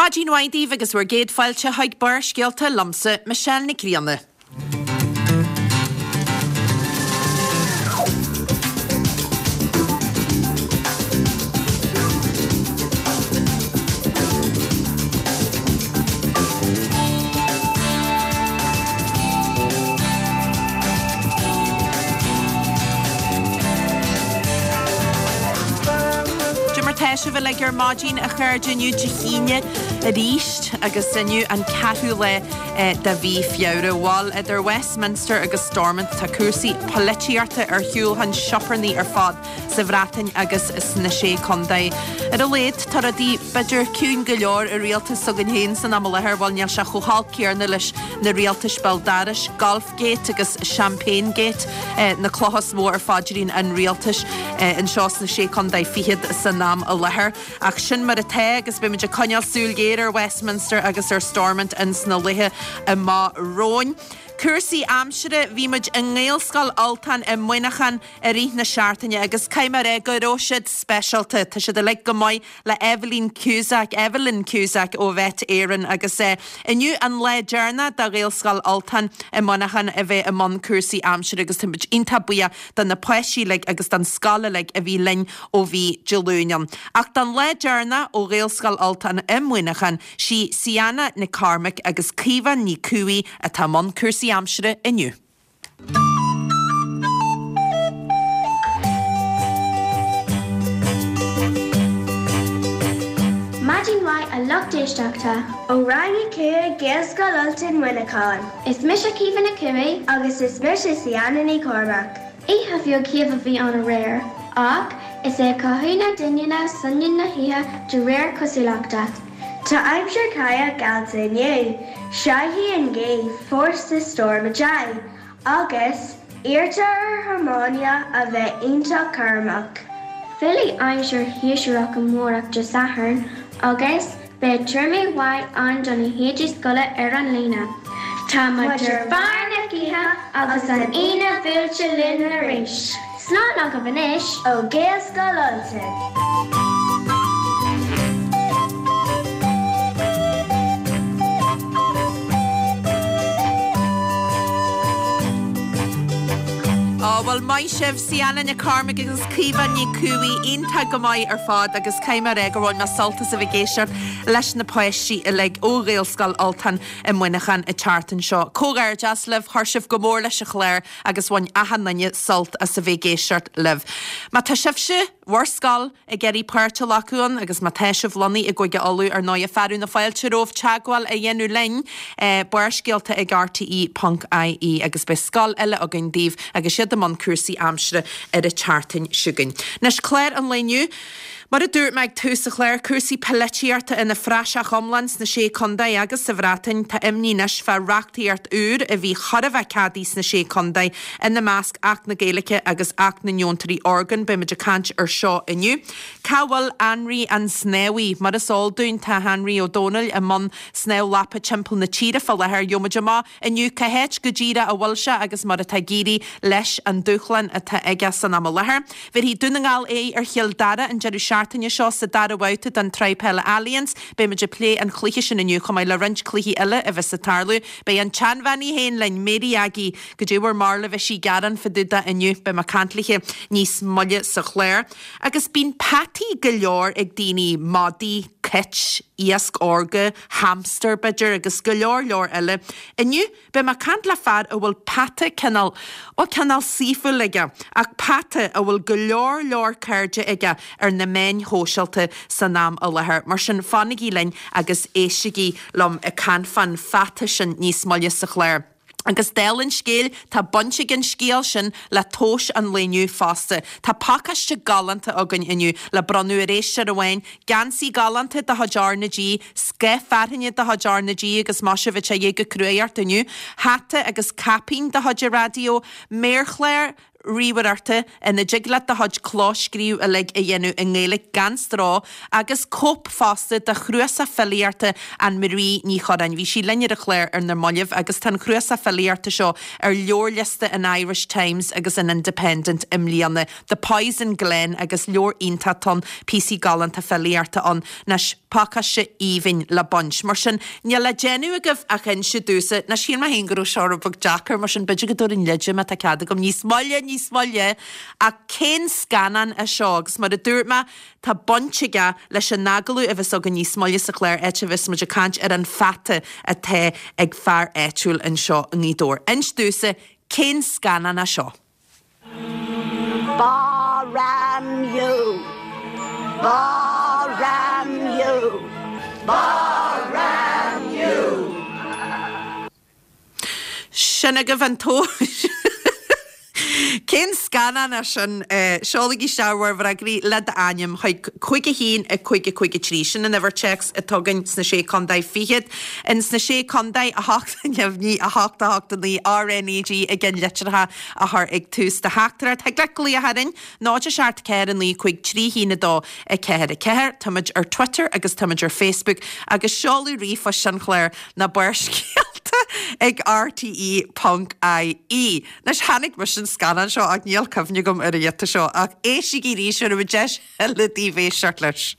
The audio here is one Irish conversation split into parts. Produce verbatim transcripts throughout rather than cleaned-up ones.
Maidin mhaith daoibh agus bhur gcéad fáilte chuig Barrscéalta liomsa, Michelle Nic Grianna. Cad é mar tá sibh uilig ar maidin a chairde inniu Dé hAoine arís agus inniu an ceathrú lá de mhí Feabhra. Bhuel idir Westminster agus Stormont tá cúrsaí polaitíochta ar shiúl chun sioparnaí ar fad sa Bhreatain agus sna Sé Chontae. Ar a laghad tá rudaí b'fhéidir ciúin go leor i rialtas s'againn féin san am i láthair bhuel níl sé chomh holc céanna leis na rialtais béal dorais, Golfgate agus Champagnegate na clocha is mó ar phaidrín an rialtais anseo sna Sé Chontae Fichead san am i láthair. Ach sin mar atá agus beimid ag coinneáil súil ghéar ar Westminster agus ar Stormont ins na laetha amach romhainn. Cúrsaí aimsire bhí muid i nGaelscoil Ultain i Muineachán i rith na seachtaine agus caithfidh mé a rá go raibh siad speisialta. Tá siad uilig go maith le Evelyn Cusack, Evelyn Cusack ó Mhet Éireann agus eh, inniu an lá deireanach do Ghaelscoil Ultain i Muineachán a bheith i mbun cúrsaí aimsire agus táimid iontach buíoch do na páistí uilig agus don scoil uilig a bhí linn ó bhí Dé Luain ann. Ach don lá deireanach ó Ghaelscoil Ultain i Muineachán sí Sianna Nic Cormaic agus Caoimhe Ní Cumhaigh atá i mbun cúrsaí aimsire inniu. Maidin mhaith a lucht éisteachta ó Rang a cúig Gaelscoil Ultain Muineachán. Is mise Caoimhe Nic Cumhaigh agus is mise Sianna Ní Chormaic. Oíche bheag shéimh a bhí ann aréir, ach is é cothú na doininne soineann na hoíche de réir cosúlachta. Tá aimsir chaoch geallta inniu, Séidfidh an ghaoth fórsa Storm a deich, agus iarrtar ar thiománaithe a bheith iontach cúramach. Fillfidh aimsir shéasúrach amárach Dé Sathairn agus beidh triomú mhaith ann do na héadaí scoile ar an líne. Tá muid ar bharr na gaoithe agus an Aoine buailte linn arís. Slán agaibh anois ó Ghaelscoil Ultain. Á bhuel maith sibh Sianna Nic Cormaic agus Caoimhe Ní Cumhaigh iontach go maith ar fad agus caithfidh mé a rá gur bhain mé sult as a bheith ag éisteacht leis na páistí uilig ó Ghaelscoil Ultain i Muineachán an tseachtain seo. Comhghairdeas libh chuir sibh go mór leis an chlár agus bhain achan duine sult as a bheith ag éisteacht libh. Má tá sibhse bhur scoil ag iarraidh páirt a ghlacadh ann agus má tá sibh lonnaithe i gCúige Uladh ar ndóigh fearadh na fáilte romhaibh teagmháil a dhéanamh linn Barrscéalta ag RTE ponc IE agus beidh scoil eile againn daoibh agus siad i mbun cúrsaí aimsire ar an tseachtain seo chugainn. Anois clár an lae inniu. Mar a dúirt mé ag tús an chláir cúrsaí polaitíochta ina phraiseach iomlán sna sé contae agus sa Bhreatain tá imní anois fá reachtaíocht úr a bhí chóir a bheith ceadaithe sna sé contae ina measc Acht na Gaeilge agus Acht na nDeontóirí Orgán beimid ag caint ar seo inniu. Cá bhfuil Anraí an Snámhaí, mar is eol dúinn tá Anraí Ó Domhnaill i mbun snámh lapa timpeall na tíre fá láthair gheobhaimid amach inniu cá háit go díreach a bhfuil sé agus mar atá ag éirí leis an dúshlán atá aige san am i láthair. Bhéarfaidh Dún na nGall aghaidh ar Chill Dara an deireadh seachtaine seo sa dara babhta den tsraith peile Allianz, beimid ag plé an chluiche sin inniu chomh maith le roinnt cluichí eile a bheas ag tarlú. Beidh an tseanbhean í féin linn, Mary Aggie, goidé bhur mbarúil an mbeidh sí ag gearán fá dtaobh de inniu, beidh mé ag caint léi níos moille sa chlár. Agus bíonn peataí go leor ag daoine, madaí, cait, iasc órga, hamster b'fhéidir agus go leor leor eile. Inniu beidh mé ag caint le fear a bhfuil peata cineál ó cineál saoithiúil aige, ach peata a bhfuil go leor leor cairde aige ar na meáin shóisialta san am i láthair. Mar sin fanaigí linn agus éistigí liom ag caint fán pheata sin níos moille sa chlár. Agus dála an scéil, tá baint ag an scéal sin le tomhais an lae inniu fosta. Tá pacáiste galánta againn inniu le bronnadh ar éisteoir amháin, geansaí galánta de chuid R na G, scoth fearthainne de chuid R na G agus maith sibh ag téigh go cruaidh ort inniu, hata agus caipín de chuid an raidió, méarchlár, ríomhaireachta ina dtig leat do chuid clóscríobh uilig a dhéanamh i nGaeilge gan stró agus cóip fosta de chnuasach filíochta Ann Marie Ní Churráin. Bhí sí linn ar an chlár ar na mallaibh agus tá an cnuasach filíochta seo ar leabharliosta an Irish Times agus an Independent i mbliana. The Poison Glen agus leabhar iontach ann, píosaí galánta filíochta ann. Anois Pacáiste aoibhinn le baint. Mar sin níl le déanamh agaibh ach inse domhsa ná shíl mé féin go raibh seo rud beag deacair mar sin b'fhéidir go dtabharfainn leide má tá cead agam níos moille níos moille ach cén scannán é seo agus mar a dúirt mé tá baint aige leis an agallamh a bheas againn níos moille sa chlár áit a bheas muid ag caint ar an fata atá ag fear áitiúil anseo i nGaoth Dobhair. Inis domhsa cén scannán é seo. Ba ram you. Ba ram you. Ba ram you. Sin agaibh an tomhas. Cén scannán é sin seolaigí isteach bhur bhfreagraí le d'ainm chuig cúig a haon a cúig a cúig a trí sin an uimhir téacs atá againn sna sé contae fichead in sna sé contae a hocht neamhní a hocht a hocht a naoi RNAG i gceann litreacha a chur ag tús do theachtaireacht. Thig leat glaoch orainn náid a seacht ceathair a naoi cúig trí haon a dó a ceathair a ceathair. Táimid ar Twitter agus táimid ar Facebook agus seoladh ríomhphoist an chláir ná Barrscéalta ag RTE ponc IE. Anois chonaic mise an scannán seo ach níl cuimhne agam ar an ghiota seo ach éistigí arís ar a deis eile daoibh éisteacht leis.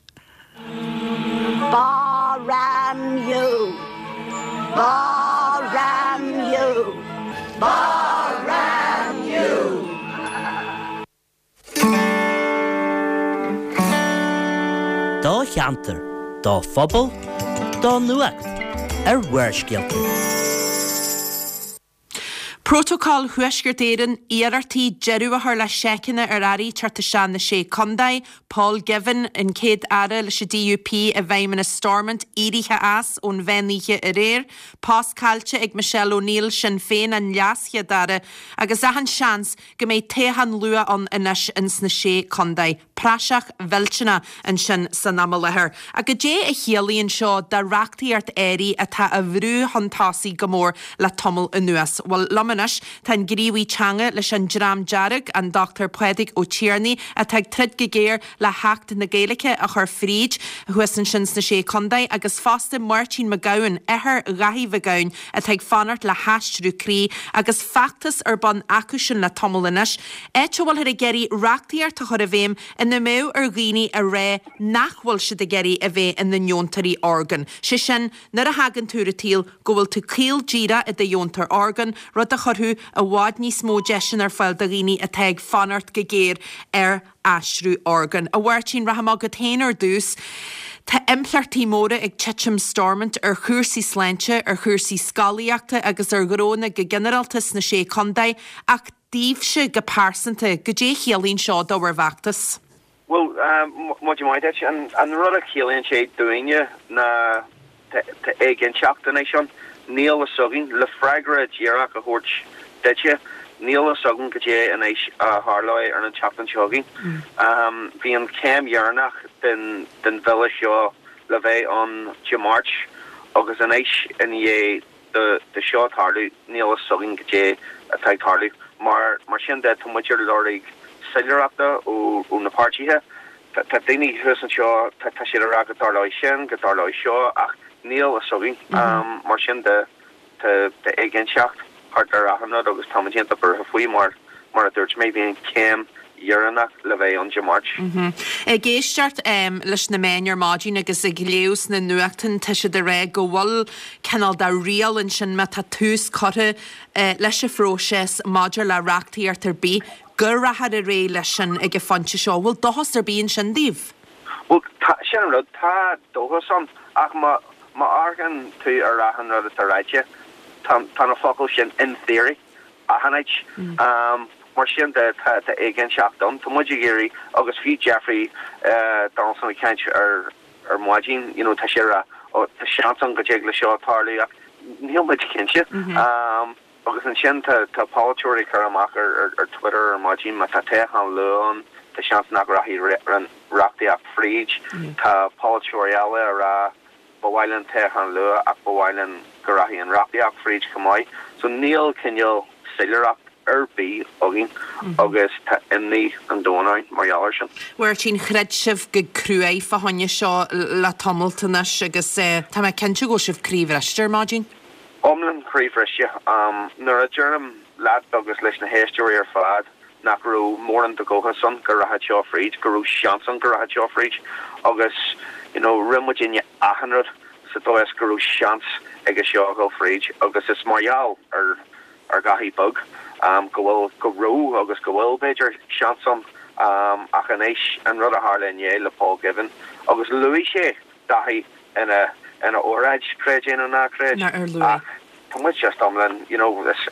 Ba ram you. Ba ram you. Ba ram you. Do cheantar, do phobal, do nuacht ar Bharrscéalta. Prótacal Thuaisceart Éireann iarrachtaí deireadh a chur le seiceanna ar earraí teacht isteach na sé contae, Paul Givan an céad aire leis an DUP i bhfeidhmeannas Stormont éirithe as ón mheán oíche aréir, Post caillte ag Michelle O'Neill Sinn Féin an leaschéad aire agus achan seans go mbeidh toghchán luath ann anois ins na sé contae. Praiseach mhillteanach ansin san am i láthair. Ach goidé a chiallaíonn seo do reachtaíocht áirithe atá á bhrú chun tosaigh go mór le tamall anuas. Bhuel liom anois tá an gníomhaí teanga leis an Dream Dearg, an Dr Pádraig Ó Tiarnaigh, atá ag troid go géar le hAcht na Gaeilge a chur fríd thuas ansin sna sé contae agus fosta Máirtín Mac Gabhann, athair Dhaithí Mhic Gabhann atá ag fanacht le haistriú croí agus feachtas ar bun acu sin le tamall anois, áit a bhfuilthear ag iarraidh reachtaíocht a chur i bhfeidhm ina mbeadh ar dhaoine a rá nach bhfuil siad ag iarraidh a bheith ina ndeontóirí orgán. Sé sin, nuair a thagann tú ar an tsaol go bhfuil tú caol díreach i do dheontóir orgán, rud a chuirfeadh i bhfad níos mó deiseanna ar fáil do dhaoine atá ag fanacht go géar ar aistriú orgán. A Mháirtín rachaidh mé chugat féin ar dtús. Tá impleachtaí móra ag titim Stormont ar chúrsaí sláinte, ar chúrsaí scolaíochta agus ar ghnónna go ginearálta sna sé contae, ach daoibhse go pearsanta, goidé a chiallaíonn seo do bhur bhfeachtas. Bhuel, maidin mhaith duit. An rud a chiallaíonn sé dúinne ná tá éiginnteacht anois ann. Níl a fhios againn, le freagra díreach a thabhairt duitse, níl a fhios againn cad é anois a tharlóidh ar an tseachtain seo chugainn. Bhí an chéim dheireanach den den bhille seo le bheith ann Dé Máirt agus anois i ndiaidh do do seo tarlú níl a fhios againn cad é atá ag tarlú. Mar mar sin de tá muid ar lorg soiléireachta ó ó na páirtithe. Tá tá daoine thuas anseo tá tá siad ag rá go dtarlóidh sin, go dtarlóidh seo ach níl a fhios againn. Mar sin de tá tá éiginnteacht thart ar achan rud agus táimid iontach buartha faoi mar mar a dúirt mé bhí an chéim dheireanach le bheith ann Dé Máirt. Ag éisteacht leis na meáin ar maidin agus ag léamh sna nuachtáin tá siad ag rá go bhfuil cineál de riail ansin má tá tús curtha leis an phróiseas maidir le reachtaíocht ar bith go rachfar ar aghaidh leis sin ag an phointe seo. Bhfuil dóchas ar bith ansin daoibh? Bhuel, tá, sin an rud, tá dóchas ann ach má má amharcann tú ar achan rud atá ráite, tá tá na focail sin in theory achan áit. Mar sin de, tá tá éiginnteacht ann. Tá muid ag iarraidh, agus fiú Jeffrey Donaldson ag caint ar ar maidin, you know, tá sé ag rá, oh, tá seans ann go dtig le seo tarlú ach níl muid cinnte. Agus ansin tá tá polaiteoirí ag cur amach ar ar ar Twitter ar maidin má tá toghchán luath ann, tá seans nach rachaidh an reachtaíocht fríd. Tá polaiteoirí eile ag rá ba mhaith linn toghchán luath ach ba mhaith linn go rachaidh an reachtaíocht fríd chomh maith. So níl cineál soiléireacht ar bith againn agus tá imní an domhain orainn mar gheall air sin. Mháirtín, throid sibh go cruaidh fá choinne seo le tamalt anois agus tá mé cinnte go bhfuil sibh croíbhriste ar maidin. Iomlán croíbhriste. Nuair a deirim leat agus leis na héisteoirí ar fad nach raibh mórán de dhóchas ann go rachadh seo fríd, go raibh seans ann go rachadh seo fríd agus You know, rinne muidinne achan rud sa dóigh is go raibh seans aige seo a dhul fríd agus is mar gheall ar ar Dhaithí Beag um, go bhfuil go raibh agus go bhfuil b'fhéidir seans ann um, ach anois an rud a tharla inné le Paul Givan agus luaigh sé Daithí ina ina óráid creid é nó ná creid ach tá muid just iomlán you know is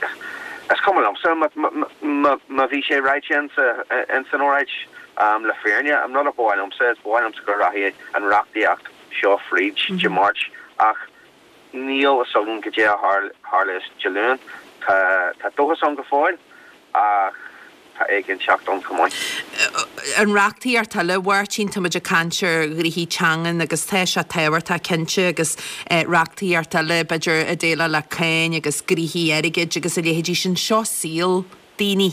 is cuma liomsa má bhí sé ráite in san óráid um, le fírinne an rud a ba mhaith liomsa is ba mhaith liomsa go rachaidh an reachtaíocht seo fríd Dé Máirt ach níl a fhios againn goidé a tharlós Dé Luain tá tá dóchas ann go fóill ach tá éiginnteacht ann chomh maith. An reachtaíocht eile a Mháirtín tá muid ag caint ar ghnoithí teangan agus tá sé tábhachtach cinnte agus reachtaíocht eile b'fhéidir a déileáil le cáin agus gnoithí airgid agus a leithéidí sin seo saol daoine.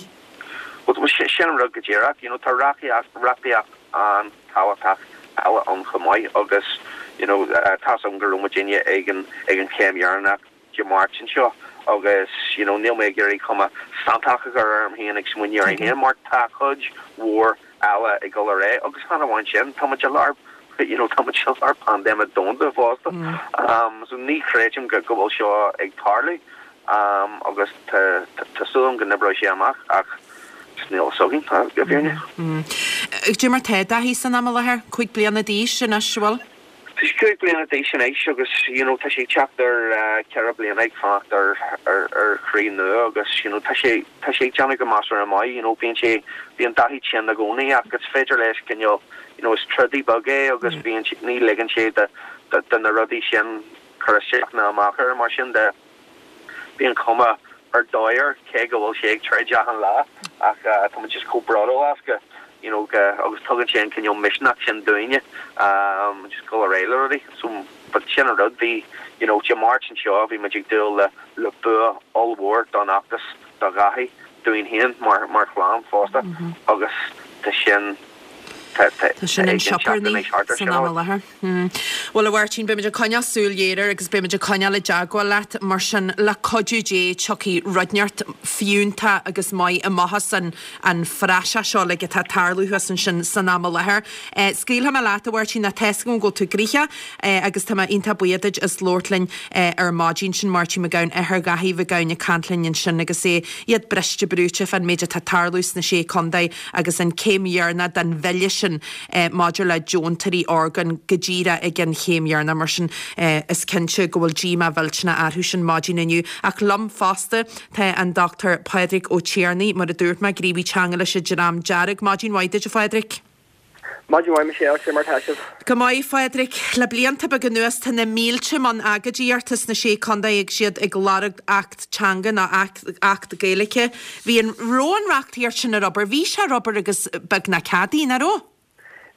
Well sin an rud go díreach, you know, tá reachtaíocht reachtaíocht an-tábhachtach eile ann chomh maith agus you know, uh, tá an go raibh muidinne ag an ag an chéim dheireanach Dé Máirt anseo agus you know, níl mé ag iarraidh cuma santach a chur orm féin ag smaoineamh ar féin mar tá cuid mhór eile ag dul ar aghaidh agus chan amháin sin tá muid i lár you know, tá muid i lár paindéime domhanda fosta. Mm. Um, so ní chreidim go go bhfuil seo ag tarlú um, agus tá súil agam go n-oibreoidh sé amach ach níl a fhios againn go fírinne. Cad é mar tá Daithí san am i láthair cúig bliana d'aois anois bhfuil? Tá sé cúig bliana d'aois anois agus you know, tá sé teacht ar uh, ceithre bliana ag fanacht ar ar ar chroí nua agus you know, tá sé tá sé déanamh go measartha maith you know, bíonn sé bíonn Daithí tinn i gcónaí agus féidir leis cineál you know, is trodaí beag é agus bíonn ní ligeann sé de de, de na rudaí sin cur isteach ná amach air mar sin de bíonn cuma ar dóigh air cé go bhfuil sé ag troid achan lá ach uh, tá just chomh bródúil as go you know, go, agus tugann sé an cineál misneach sin dúinne um, just go réidh le rudaí so but sin an rud bhí you know, Dé Máirt anseo bhí muid ag dúil le le bua ollmhór don fheachtas do Dhaithí dúinn féin mar mar chlann fosta mm -hmm. agus tá sin Tá sin an sioparní san am i láthair. Well a Mháirtín beimid ag coinneáil súil ghéar air agus beimid ag coinneáil i dteagmháil leat mar sin le cuidiú Dé tiocfaidh rud inteacht fiúntach agus maith amach as an an phraiseach seo le atá ag tarlú thuas ansin san am i láthair. Scaoilfidh mé leat a Mháirtín tá a fhios agam go bhfuil tú gnoitheach agus tá mé iontach buíoch duit as labhairt linn ar maidin sin Máirtín Mac Gabhann athair Dhaithí Mhic Gabhann ag caint linn ansin agus é iad briste brúite fán méid atá ag tarlú sna sé chontae agus an céim dheireanach den bhille sin eh, maidir le deontóirí orgán go díreach ag an chéim dheireanach mar sin eh, is cinnte go bhfuil díomá mhillteanach orthu sin maidin inniu ach liom fosta tá an Dr Pádraig Ó Tiarnaigh mar a dúirt mé gníomhaí teanga leis an Dream Dearg maidin mhaith duit a Phádraig. Maidin mhaith Michelle cé mar tá sibh. Go maith Phádraig le blianta beaga anuas tá na mílte i mbun agóidíochta sna sé chontae ag siad ag lorg acht teanga ná acht Gaeilge. Bhí an raibh an reachtaíocht sin ar obair, bhí sé ar obair agus beagnach ceadaithe nach raibh?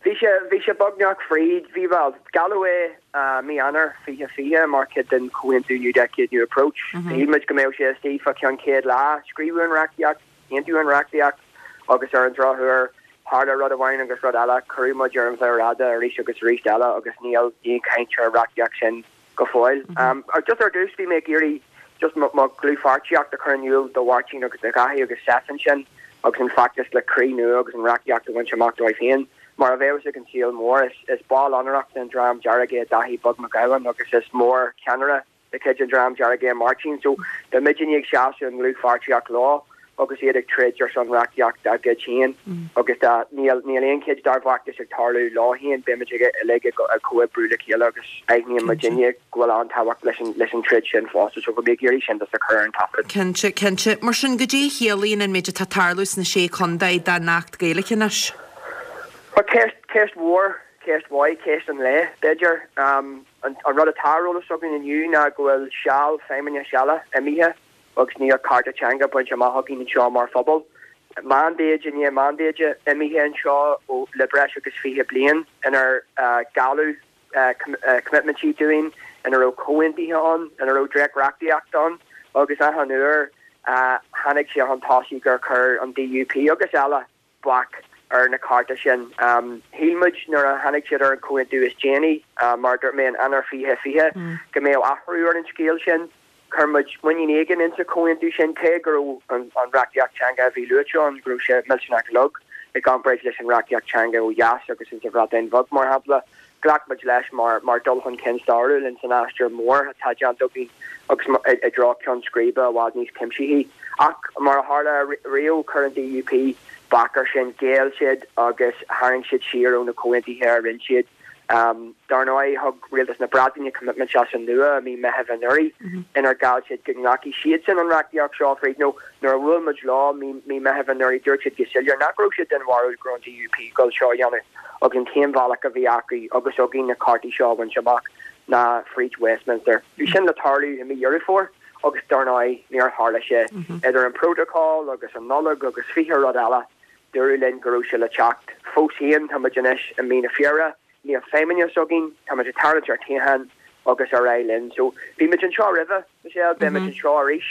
Bhí sé bhí sé beagnach fríd bhí well gealladh é uh, mí Eanáir fiche fiche mar chuid den comhaontú New Decade New Approach. Mm -hmm. muid go mbeadh sé istigh fá cheann céad lá scríobhadh an reachtaíocht, aontaíodh an reachtaíocht agus ar an drochuair tharla rud amháin agus rud eile cuireadh muid ar an mhéar fhada arís agus arís eile agus níl aon chaint ar an reachtaíocht sin go fóill. Mm -hmm. um, just ar dtús bhí mé ag iarraidh just mo dhlúthpháirtíocht a chur in iúl do Mháirtín agus do Dhaithí agus Stefan sin agus an feachtas le croí nua agus an reachtaíocht a bhaint amach dóibh féin. Mar a bheas ag an saol mór is, is ball onórach den Dream Dearg é Daithí Beag Mac Gabhann agus is mór ceannaire de chuid an Dream Dearg é Máirtín, so tá muidinne ag seasamh an dlúthpháirtíocht leo agus iad ag troid ar son reachtaíocht dá gcuid féin agus níl níl aon chuid dár bhfeachtas ag tarlú leo féin beimid ag uilig ag comhoibriú le chéile agus aithníonn muidinne go bhfuil an-tábhacht leis an leis an troid sin fosta so bhí ag iarraidh sin just a chur ar an taifead. Cinnte cinnte mar sin goidé a chiallaíonn an méid atá ag tarlú sna sé chontae don Acht Gaeilge anois. Well ceist ceist mhór ceist mhaith ceist an lae b'fhéidir um, an, an rud atá ar eolas againn inniu ná go bhfuil seal feidhmeannais eile imithe agus níl cearta teanga bainte amach againn anseo mar phobal. Mandate i ndiaidh mandate imithe anseo ó le breis agus fiche bliain inar uh, gealladh uh, com uh, commitmentí dúinn ina raibh comhaontuithe ann ina raibh dréachtreachtaíocht ann agus achan uair uh, tháinig sé chun tosaigh gur chuir an DUP agus eile bac ar na cearta sin. Um, Shíl muid nuair a tháinig siad ar an comhaontú is déanaí uh, mar dúirt mé in Eanáir fiche fiche mm. go mbeadh athrú ar an scéal sin. Chuir muid muinín éigin insa comhaontú sin cé go raibh an, an reachtaíocht teanga a bhí luaite ann go raibh sé millteanach lag i gcomparáid leis an reachtaíocht teanga ó dheas agus insa Bhreatain Bheag mar shampla. Ghlac muid leis mar mar dul chun cinn stairiúil ins an aistear mór atá déanta againn agus i dtreo ceann scríbe i bhfad níos cuimsithí. Ach mar a tharla riamh, chuir an DUP bac air sin, ghéill siad agus tharraing siad siar ó na comhaontuithe a rinne siad. Dar ndóigh, thug Rialtas na Breataine coimitmint as an nua i mí Meithimh anuraidh inar gheall siad go nglacfaidh siadsan an reachtaíocht seo fríd nó nuair a bhuail muid leo mí Meithimh anuraidh dúirt siad go soiléir nach raibh siad den bharúil go raibh an DUP ag dul seo a dhéanamh agus an t-aon bhealach a bhí acu agus againn na cearta seo a bhaint amach ná fríd Westminster. Bhí sin le tarlú i mí Dheireadh Fómhair agus dar ndóigh níor tharla sé. Idir an Protocol agus an Nollaig agus fiche rud eile, dúradh linn go raibh sé le teacht. Fós féin, tá muid anois i mí na Feabhra, níl feidhmeannas againn, tá muid ag tarraingt ar toghchán agus ar aghaidh linn. So, bhí muid anseo roimhe, Michelle, beidh muid anseo arís.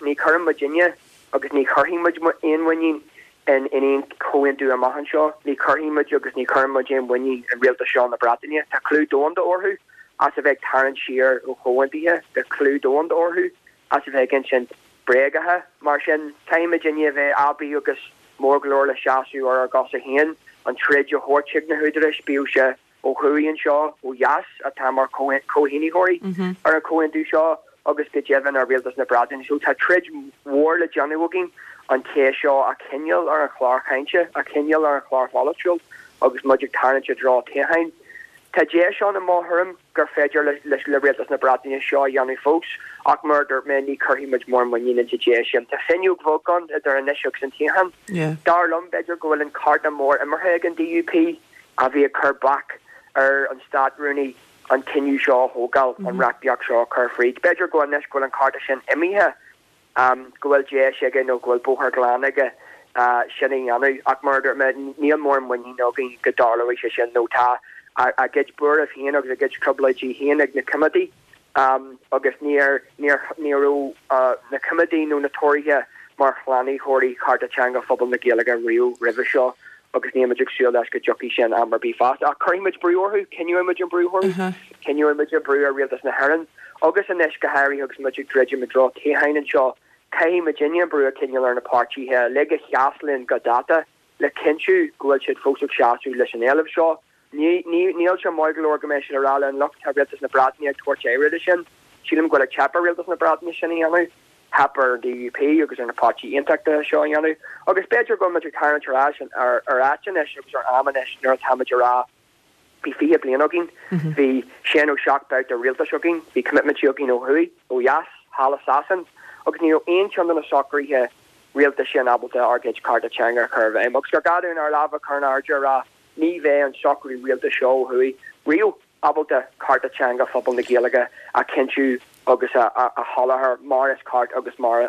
Ní chuireann muidinne agus ní chuirfidh muid aon mhuinín in aon chomhaontú amach anseo. Ní chuirfidh muid agus ní chuireann muid aon mhuinín in rialtas seo na Breataine. Tá clú domhanda orthu as a bheith ag tarraingt siar ó chomhaontuithe. Tá clú domhanda orthu as a bheith ag insint bréagacha. Mar sin, caithfidh muidinne a bheith aibí agus mór go leor le seasamh ar ár gcosa féin, an troid a thabhairt chuig na húdaráis, bíodh sé ó thuaidh anseo, ó dheas, atá mar chomhshínitheoirí ar an chomhaontú seo agus go deimhin ar Rialtas na Breataine. So tá troid mhór le déanamh againn an cheist seo a choinneáil ar an chlár chainte, a choinneáil ar an chlár pholaitiúil agus muid ag tarraingt i dtreo toghcháin. Tá deis ann i mo thuairim gur féidir le Rialtas na Breataine seo a dhéanamh fós ach mar a dúirt mé ní chuirfidh muid mórán muinín insa deis sin. Tá fuinneog bheag ann idir anois agus an toghchán. Dar liom b'fhéidir go bhfuil an cárta mór imeartha ag an DUP a bhí ag cur bac ar an Stát-Rúnaí an cinneadh seo a thógáil, an reachtaíocht seo a chur fríd. B'fhéidir go anois go bhfuil an cárta sin imithe, go bhfuil deis aige nó go bhfuil bóthar glan aige sin a dhéanamh. Ach mar a dúirt mé, níl mórán muinín againn go dtarlóidh sé sin nó tá a gcuid buairimh féin agus a gcuid trioblóidí féin ag na coimeádaigh agus níor ní raibh na coimeádaigh nó na Tóraithe mar shlánaitheoirí chearta teanga phobal na Gaeilge riamh roimhe seo agus níl muid ag súil leis go dtiocfaidh sin am ar bith feasta. Ach cuirfidh muid brú orthu, coinneoidh muid an brú orthu, coinneoidh muid an brú ar Rialtas na hÉireann agus anois go háirithe agus muid ag druidim i dtreo toghcháin anseo, caithfidh muidinne an brú a choinneáil ar na páirtithe uilig a sheas linn go dáta le cinntiú go bhfuil siad fós ag seasamh leis an éileamh seo. Níl sé maith go leor go mbeidh siad ag rá linn look, tá Rialtas na Breataine ag tabhairt aire de sin. Sílim go bhfuil ag teip ar Rialtas na Breataine sin a dhéanamh. Theip ar an DUP agus ar na páirtithe aontachtaithe seo a dhéanamh. Agus b'fhéidir go bhfuil muid ag tarraingt ar ais ar ar áit anois agus ar am anois nuair atá muid ag rá bhí fiche bliain againn, bhí sé nó seacht babhta rialtais againn, bhí coimitmintí againn ó thuaidh, ó dheas, thall i Sasain agus ní raibh aon cheann de na socruithe rialtais sin ábalta ár gcuid cearta teanga a chur i bhfeidhm. Agus gur gá dúinn ár lámha a chur in airde a rá ní bheidh an socrú rialtais seo ó thuaidh riamh ábalta cearta teanga phobal na Gaeilge a chinntiú agus a sholáthar mar is ceart agus mar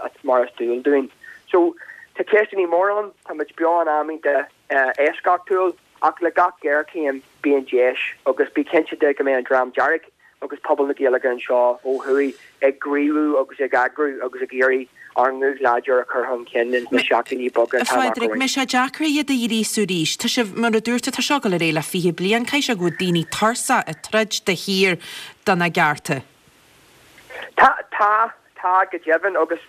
is dual dúinn. So, tá ceisteanna móra ann, tá muid beo in am iontach eisceachtúil ach le gach géarchéim bíonn deis agus bí cinnte de go mbeidh an Dream Dearg agus pobal na Gaeilge anseo ó thuaidh ag gníomhú agus ag eagrú agus ag iarraidh ár nguth láidir a chur chun cinn ins na seachtainí beaga A atá amach Phádraig, romhainn. mbeidh sé deacair iad a ghríosú arís. Tá sibh, mar a dúirt tú, tá seo ag dul ar aghaidh le fiche bliain, caithfidh sé go bhfuil daoine tuirseach ag troid de shíor do na gcearta. Tá, tá, tá go deimhin agus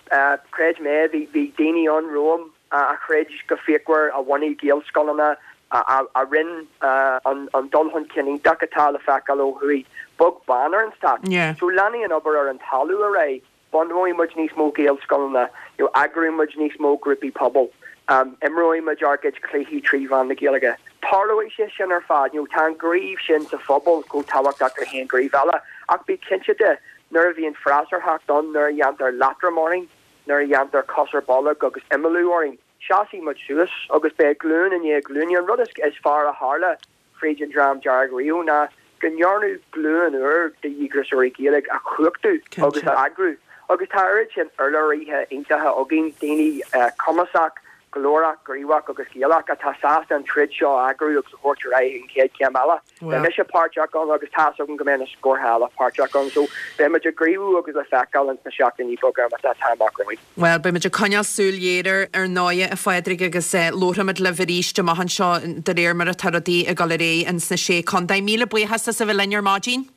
creid mé, bhí, bhí daoine ann romham a throid go fíochmhar, a bhunaigh Gaelscoileanna, a rinne an dul chun cinn iontach atá le feiceáil ó thuaidh, beag beann ar an stát. So leanfaidh an obair ar an talamh ar aghaidh, bunóidh muid níos mó Gaelscoileanna, you know, eagróidh muid níos mó grúpaí pobail, imreoidh muid ár gcuid cluichí trí mheán na Gaeilge. Tarlóidh sé sin ar fad, you know, tá an gníomh sin sa phobal chomh tábhachtach le haon ghníomh eile, ach bí cinnte de, nuair a bhíonn freasúrthacht ann, nuair a dhéantar leatrom orainn, nuair a dhéantar cos ar bolg agus imeallú orainn, Seasfaidh muid suas agus beidh glúin i ndiaidh glúine. An rud is fearr a tharla fríd an Dream Dearg riamh ná go ndearnadh glúin úr de dhíograiseoirí Gaeilge a chumhachtú agus a eagrú. Agus tá oiread sin urlabhraithe iontacha againn, daoine cumasach, glórach, gníomhach agus Gaelach atá sásta an troid seo a eagrú agus a thabhairt ar aghaidh an chéad chéim eile. Beidh mise páirteach ann agus tá's agam go mbeidh na scórtha eile páirteach ann. So beidh muid ag gníomhú agus le feiceáil ins na seachtainí beaga atá amach romhainn. Bhuel, beidh muid ag coinneáil súil ghéar air ar ndóigh, a Phádraig, agus labharfaimid libh arís amach anseo de réir mar atá rudaí ag dul ar aghaidh ins na Sé Contae. Míle buíochas as a bheith linn ar maidin.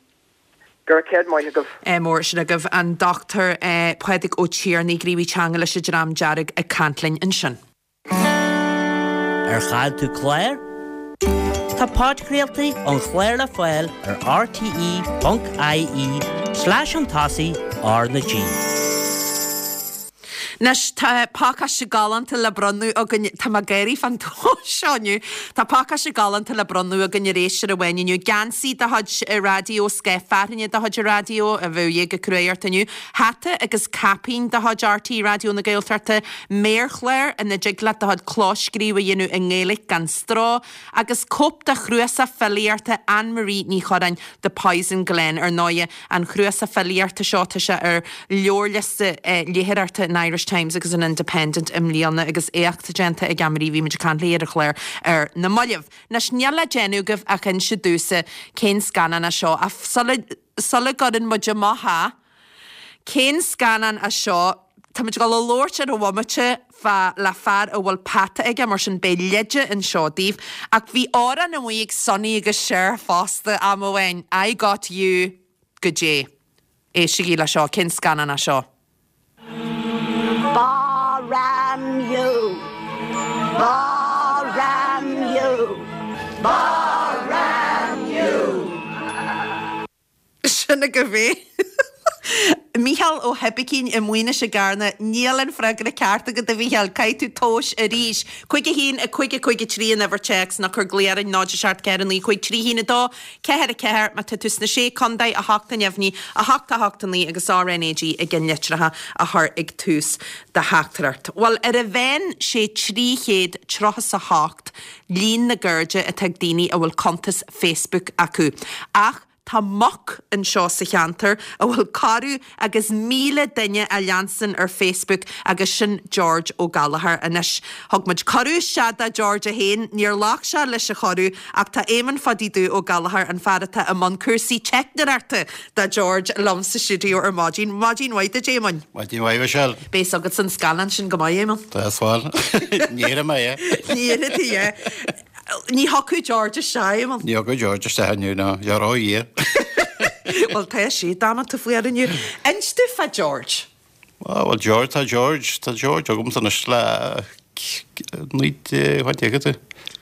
Go raibh céad maith agaibh. Mór sin agaibh. An Dochtúir Pádraig Ó Tiarnaigh, gníomhaí teanga leis an Dream Dearg ag caint linn ansin. Ar chaill tú clár? Agus tá podchraoltaí an chláir le fáil ar rte ponc ie slash chun tosaigh R na G. Anois tá pacáiste galánta le bronnadh againn, tá mé ag gáirí fán tomhas seo inniu, tá pacáiste galánta le bronnadh againn ar éisteoir amháin inniu, geansaí de chuid Raidió, scáth fearthainne de chuid Raidió, a bheadh ag cruaidh ort inniu, hata agus caipín de chuid RTÉ Raidió na Gaeltachta, méarchlár ina dtig leat do chuid clóscríobh a dhéanamh i nGaeilge gan stró, agus cóip de chnuasach filíochta Anne Marie Ní Churráin, The Poison Glen. Ar ndóighe, an chnuasach filíochta seo, tá sé ar leabharliosta léitheoireachta an Irish Times agus an Independent i mbliana agus éacht déanta ag Anne Marie, bhí muid ag caint léi ar an chlár ar na mallaibh. Anois, níl le déanamh agaibh ach inse domhsa cén scannán é seo, ach sula, sula gcuireann muid amach é, cén scannán é seo? Tá muid ag dul a labhairt ar an bhomaite fá le fear a bhfuil peata aige, mar sin beidh leide anseo daoibh. Ach bhí amhrán amuigh ag Sonny agus Cher fosta am amháin, I Got You, goidé. Éistigí le seo, cén scannán é seo? Ba-ram you! Ba-ram you! Ba-ram you! Sin agaibh é. Mícheál Ó hOibicín i Maínis i gCarna, Níl an freagra ceart agat a Mhícheáil, caithfidh tú tomhas arís. Cúig a haon, a cúig a cúig a trí an uimhir téacs nó cuir glao orainn, náid a seacht ceathair a naoi cúig trí haon a dó, ceathair a ceathair, má tá tú sna Sé Contae, a hocht a neamhní, a hocht a hocht a naoi agus RnaG i gceannlitreacha a chur ag tús do theachtaireacht. Bhuel, ar a mheán sé trí chéad tríocha is a hocht líon na gcairde atá ag daoine a bhfuil cuntas Facebook acu. Ach tá muc anseo sa cheantar a bhfuil corradh agus míle duine á leanstan ar Facebook agus sin George Ó Gallchóir. Anois, thug muid cuireadh isteach do George é féin, níor ghlac sé leis an chuireadh ach tá Éamonn Phadaí Dubh Ó Gallchóir, an fear atá i mbun cúrsaí teicneoireachta do George, liom sa stiúideo ar maidin. Maidin mhaith duit, Éamoinn. Maidin mhaith, Michelle. Beidh fhios agat an scannán sin go maith, Éamonn. Tá, bhuel. Ní fheadar mé é. Ní fheadar tú é. Ní thiocfadh George isteach, Éamonn. Ní thiocfadh George isteach inniu, ná. Tá ró-fhuar. Bhuel, tá sé damanta fuar inniu. Inis domh fá George. Á, bhuel, George, tá George, tá George agamsa anois le naoi déag, faint déag tú?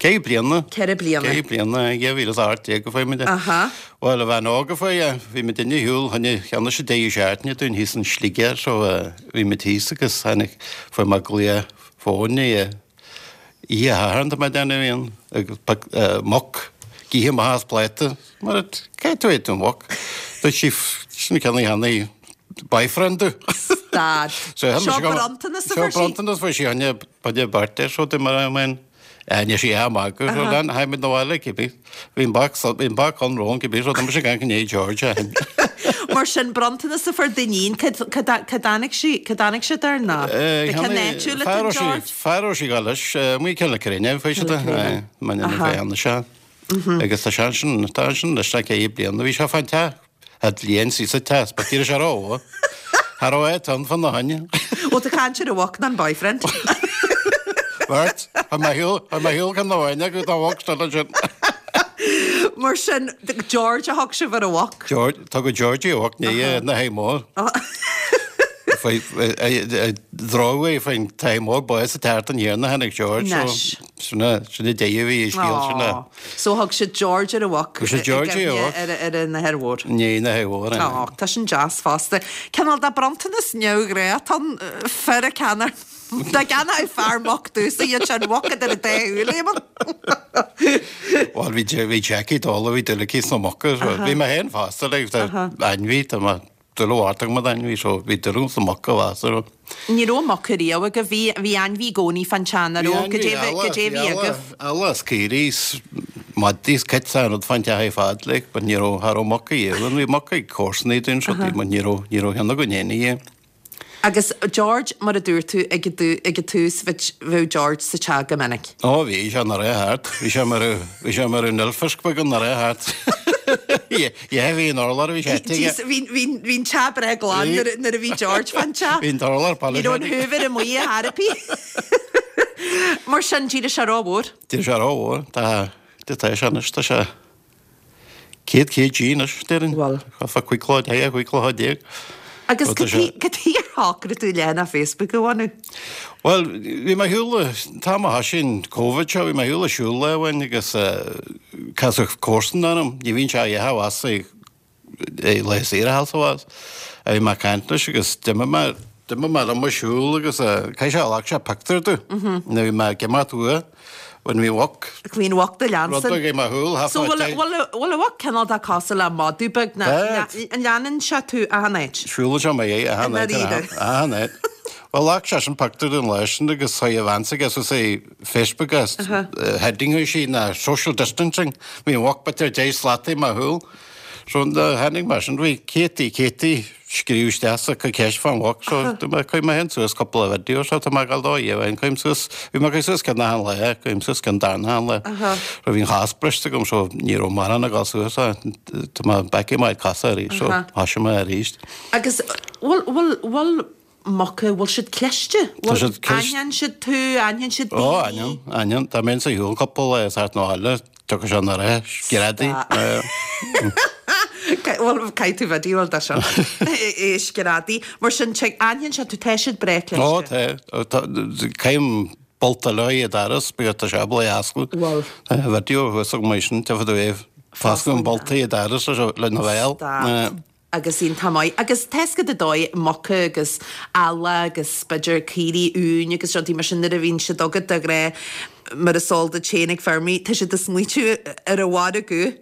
Ceithre bliana. Ceithre bliana. Ceithre bliana, dhá mhíle is a hocht déag a fuair muid é. Aha. Bhuel, a bhean óg a fuair é, bhí muid inne shiúl, tháinig, cheannaigh sé deireadh seachtaine dúinn thíos in Sligeach, so bhí muid thíos agus tháinig, fuair mé glao fóin é. Oíche Shathairn tá mé ag déanamh aon agus muc ag ithe amach as pláta. Mar caithfidh tú é don mhuc. Dúirt sí sin ceann cheana boyfriend domh. Stad. Seo Seo bronntanas a fuair sí. Seo bronntanas fuair sí choinne choinne birthday so di mar a mbeinn. Níl sí á magadh so lean tháinig muid 'na bhaile cibé. Bhí an boc bhí an boc ann romham cibé so d'imigh sé gan gné George a Mar sin bronntanas a fuair d'iníon cad cad cad tháinig sí cad tháinig siad air ná? Cén áitiúil atá George? Fear ó sí leis amuigh Cill na Cruinne faoi siad é mar an bhean seo. Agus tá sé ansin tá ansin leis le ceithre bliana bhí sé fán teach a bhliain sí sa teach ba tíre sé ró Thar ó é tan fan na haine. Ó tá caint ar a mhac ná an boyfriend. Bert, Tá mé shiúl tá mé shiúl chun na bhaile go dá mhac seo ansin. Mar sin, George a thug sibh ar a mhac? George, tugadh Georgie a mhac ní na hé mór. Dróg é faoin tae mór ba sa teart an thiarna tháinig George so Anois. sin a sin a deireadh a bhí i scéal sin a. So thug siad George ar a mhac Thug siad i Georgie ar a gcuimhne mhac. ar ar an athair mhór. Ní na hé mhór é. Á, tá sin deas fosta. Cineál de bronntanas neamhghnách atá ann, fear a ceannair. Dá gceannódh fear muc domhsa iad sin muc idir an dá shúil, Éamonn. Bhuel bhí bhí Jackie dall bhí dúil aici sna muca so bhí mé féin fosta like tá ainmhí tá mé dúil mhór agam in ainmhí so bhí dúil agam sna muca fosta so. Ní raibh muc ariamh agaibh, bhí bhí ainmhí i gcónaí fán teach nach Bhí raibh? ainmhí Goidé eile, goidé bhí bhí eala agaibh? eala is caoirigh is madraí is cait an rud fán teach ar fad like but ní raibh cha raibh muca ariamh ann bhí muca ag comharsanaí dúinn so but ní raibh ní raibh cheann againn féin ariamh. Agus George, mar a dúirt tú ag an tús, bheadh George sa teach go minic. Ó bhí sé ina rith thart. Bhí sé mar bhí sé mar an oilfisc beag ina rith thart. Yeah, bhí an urlár bhí sé aige. Bhí bhí an teach breá glan nuair a bhí George fán teach. Bhí an t-urlár Ní raibh an Hoover amuigh ar chor ar bith. Mar sin, d'éirigh sé rómhór. D'éirigh sé rómhór. Tá tá sé anois, tá sé céad kg anois, déarfainn. Bhuel. Fá cúig lá, cúig lá déag. Agus cad chuige ar shocraigh tú leathanach Facebook a bhunú? Bhuel, bhí mé ar shiúl, an t-am a thoisigh an Covid seo, bhí mé ar shiúl ag siúl lá amháin agus casadh comharsan orm, ní bhíonn sé a dhath abhus ag laetha saoire thall is abhus, a bhí mé ag caint leis agus d'imigh mé, d'imigh mé liom ag siúl agus caithfidh sé, ghlac sé pictiúr domh nuair a bhí mé ag imeacht uaidh. When bhí mhuc. Bhí an mhuc do Rud leansan. beag i mo shúil, half So a bhfuil day. bhfuil bhfuil an mhuc cineál de cosúil le madadh beag ná Bad. an leanann sé tú achan áit? Siúlann sé i mo dhiaidh achan I áit ndáiríre. achan áit. Bhuel, ghlac seisean pictiúr den lá sin agus chuaigh a bhean s'aige suas ar Facebook agus heading chuir sí ná social distancing. Bhí an mhuc b'fhéidir deich slata i mo shúil. So tháinig mar sin, bhí céadtaí céadtaí scríobh isteach sa ceist fán mhuc so chuir mé féin suas cúpla video so tá mé ag dul dó dhéanamh cuirim suas, bhí mé ag cur suas ceann achan lá, cuirim suas ceann darna achan lá. So bhí an chos briste agam so ní raibh mórán ag dul suas tá mé back i my cosa arís so thosaigh mé arís. Agus bhfuil bhfuil bhfuil muca, bhfuil siad cliste? Tá siad cliste. Aithníonn siad tú, aithníonn siad Ó, daoine? aithníonn, aithníonn. Dá mbeinn sa shiúl cúpla lá is thart na bhaile, tiocfaidh sé na rith, screadaí. Bhuel, caithfidh tú video de seo. É screadaí. Mar sin, aithníonn siad tú, tá siad breá cliste. Ó, tá. Tá, caithim bolta leo i dtaras, bíodh tá sé ábalta é a oscailt. Bhuel. Tá video thuas agam mar sin, tiocfaidh tú é foscadh an bolta i dtaras lena bhéal. Stop. Agus iontach maith. Agus tá a fhios agat an dóigh, muca agus eala agus b'fhéidir caoirigh uain agus rudaí mar sin nuair a bhíonn siad agat de ghnáth mar is eol duit féin ag feirmeoirí, tá siad ag smaoitiú ar an mhargadh.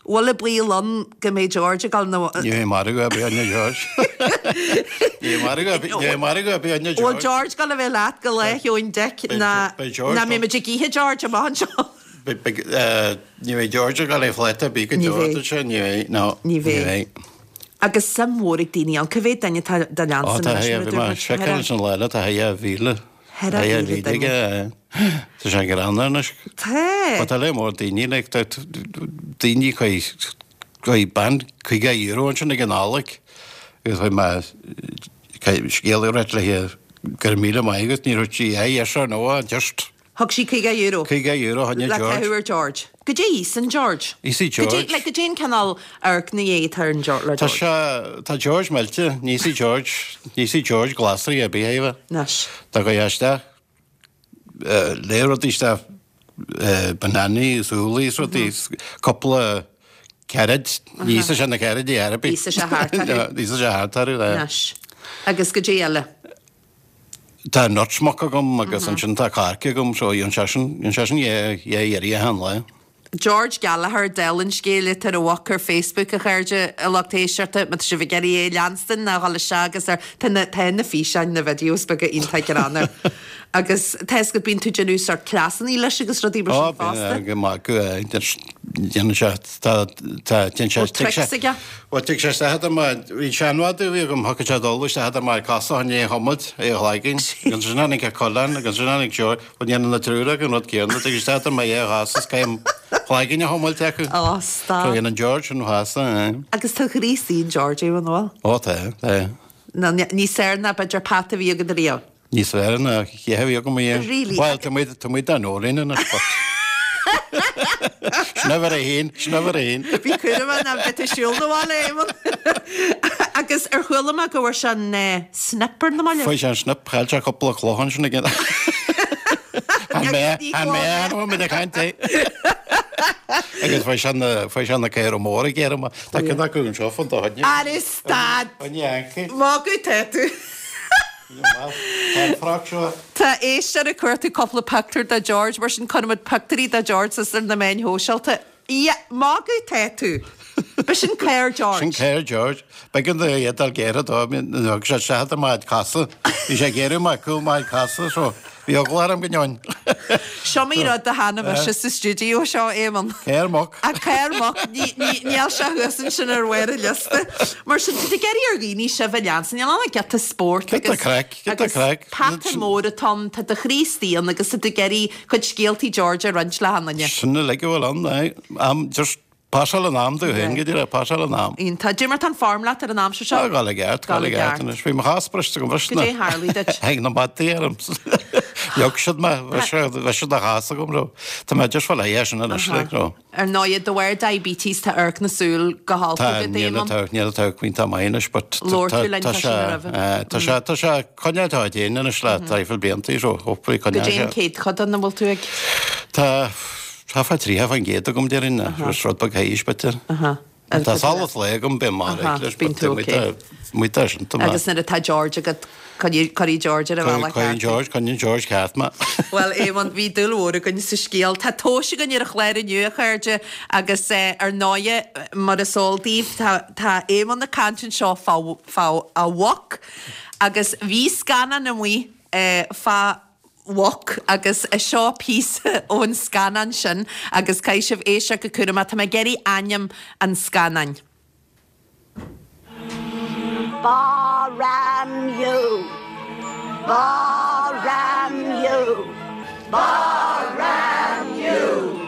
Bhfuil an baol ann go mbeidh George ag dul nó. Ní bheidh margadh ar bith ann George. Ní bheidh margadh ar bith, ní bheidh margadh ar bith ann Bhfuil George. George ag dul a bheith leat go Lá Sheoin Dic ná Beidh George ná mbeidh muid ag ithe George amach anseo? Ní bheidh George ag dul ar phláta ar bith go Ní deo, bheidh. dúirt sé, ní bheidh, no, Ní ní bheidh. bheidh. Agus suim mhór ag daoine ann. Cá mhéad duine atá do Ó, leansan tá anois thigh, mar a bhí dúirt mé muid? seiceáil leis an lá eile, tá thigh a mhíle. Thar a Thigh a mhíle mhíle duine. aige, tá sé greannmhar anois. Tá. But tá lear mór daoine, like, tá daoine chuir, chuir bean caoga euro ansin ag an Nollaig agus chuir mé scéal a ráit léi go raibh míle maith agat, ní raibh sí a yes or no, just Thug sí caoga euro. Caoga euro choinne Le George. caitheamh ar George. Goidé a íosann George? Íosfaidh George. Goidé, like, goidé an cineál amharc na atá ar an George, le Tá George? sé, tá George millte, ní íosfaidh George, ní íosfaidh George glasraí ar bith, Éabha. Anois. Dá gcuirfeá isteach, lear rudaí isteach, bananaí is úllaí is rudaí, cúpla carrot, ní íosfaidh sé na carrotaí ar bith. Íosfaidh sé thart orthu. Ní íosfaidh sé thart orthu, yeah. Anois. Agus goidé eile? Tá nuts muc agam agus ansin tá coirce agam so dhéan seisean, dhéan seisean dhá, dhá iarraidh achan lá. George Gallagher, dála an scéil atá ar an mhuc ar Facebook a chairde, a lucht éisteachta, má tá sibh ag iarraidh é a leanstan ná dhul isteach agus ar, tá na, tá na físeáin, na videos beaga iontach greannmhar. Agus tá a fhios agat bíonn tú ag déanamh sórt cleasanna leis agus rudaí mar Ó, sin fosta. bíonn, go maith go, déanann sé, tá, tá, déanann sé, Bhfuil tricks aige? Bhuel, tig sé isteach idir mo, bhí seanmhadadh a bhí agam, thiocfadh sé dul isteach idir mo chosa chun é a chuimilt, é a shlagin, agus ansin tháinig a coileán, agus ansin tháinig George, bhuel, dhéanann na triúr acu an rud céanna, tig isteach idir mo dhá chos is caithim cloigeann a chuimilt acu. Ó, stop. So dhéanann George an chasa, eh. Agus tá gríosaí in George, an bhfuil? Ó, tá, tá. Nó níos fearr ná b'fhéidir peata a bhí agat riamh? Níos fearr ná chéad a bhí agam riamh. Really? Bhuel, tá muid, tá muid dá nóirín anois, but. Sin uimhir a haon, sin uimhir a haon. Bí cúramach ná beidh tú ag siúl na bhaile, Éamonn. Agus ar chuala mé go bhfuair sé an snip ar na mallaibh? Fuair sé an snip, chaill sé cúpla cloch ansin again. An mé, an mé, an bhfuil muid ag caint é? Agus fuair sé na, fuair sé na caora móra ag iarraidh amach. Tá ceann acu anseo fan do choinne. Ar stad! Choinne Yankee. Magadh tá tú. Tá an froc seo. Tá éisteoir ag cuartú cúpla pictiúr de George, mar sin cuirfimid pictiúirí de George suas ar na meáin shóisialta. Ia, magadh tá tú. B'shin caor George. Sin caor George. B'éigean dó é a dul géire dó, thug sé isteach i mo chosa. Bhí sé ag iarraidh mo cúl mo chosa, so bhí eagla orm go ndeoin. Seo mé rud a thána mise sa stiúideo seo, Éamonn. Caor muc. A caor muc, níl sé thuas ansin ar bharr an liosta. Mar sin, tá tú ag iarraidh ar dhaoine sibh a leanstan, níl ann ach giota spóirt Giota agus craic, giota agus craic. peata mór atá ann, tá do chroí istigh ann agus tá tú ag iarraidh cuid scéaltaí George a roinnt le achan duine. Sin uilig a bhfuil ann, aye. Am, just pasáil an am dom féin, go díreach, pasáil an am. Iontach. Cad é mar tá an form leat ar an aimsir seo? Tá, gabháil i gceart, gabháil i gceart anois. Bhí mo chos briste agam, bhris Goidé tharlaigh duit? Tháinig na madaí orm. Leog siad mé, bheadh sé de chás agam raibh. Tá mé just fá leith sin anois like raibh. Ar ndóigh, de bharr diabetes tá amharc na súl go holc Tá agat, níl Éamonn. atá níl atá iontach maith anois but Labhair tá tú linn tá fá sé sin roimhe. eh, tá sé tá sé coinneáil tá déan anois le traidhfil blianta so hopefully Go coinneáil dtí an sé. chéad chuid an bhfuil tú ag? Tá tá fá tríocha faoin gcéad agam déarfainn rud beag théis b'fhéidir. Aha. Tá solas lae agam bím mar Aha, leis bíonn tú okay. Muid sin tá Agus nuair atá George agat cuirfidh George ar a bhealach Coin ceart. George, coin George ceart mé. Well Éamonn bhí dúil mhór againn sa scéal. Tá tomhais againn ar an chlár inniu a chairde agus eh, ar ndóigh mar is eol daoibh tá tá Éamonn ag caint anseo fá fá a mhuc agus bhí scannán amuigh eh, fá mhuc agus is seo píosa ón scannán sin agus caithfidh sibh éisteacht go cúramach tá mé ag iarraidh ainm an scannáin. Ba ram you. Ba ram you. Ba ram you.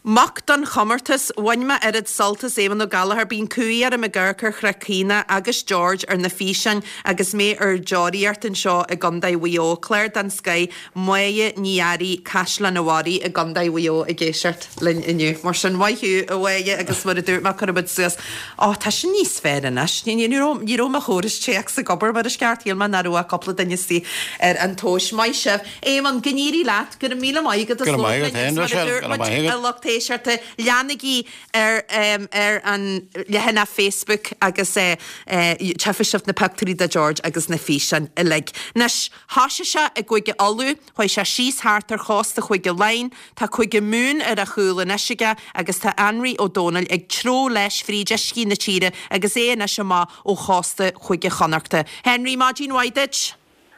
Muc don chomórtas bhain mé oiread sult as Éamonn Ó Gallchóir bíonn cumhaidh orm ag amharc ar Chnoc Caonach agus George ar na físeáin agus mé ar deoraíocht anseo i gContae Mhaigh Eo. Clár den scoth Máire Ní Fhearraigh Caisleán an Bharraigh i gContae Mhaigh Eo ag éisteacht linn inniu. Mar sin maith thú a Mháire agus mar a dúirt mé cuirfidh muid suas. Ó tá sin níos fearr anois. Ní ní raibh ní raibh mo chóras téacs ag obair mar is ceart shíl mé nach raibh cúpla duine istigh ar an tomhais maith sibh. Éamonn go n-éirí leat go raibh míle maith agat Go raibh maith agat féin, Roiséal, go raibh maith agat. a lucht éisteachta leanaigí ar um, ar an leathanach Facebook agus uh, uh, tchífidh sibh na pictiúirí de George agus na físeáin uilig. Anois thosaigh sé i gCúige Uladh, chuaigh sé síos thart ar chósta Chúige Laighean, tá Cúige Mumhan ar a chúl anois aige agus tá Anraí Ó Dónaill ag treabhadh leis fríd uiscí na tíre agus é anois amach ó chósta Chúige Chonnachta. Henry maidin mhaith duit?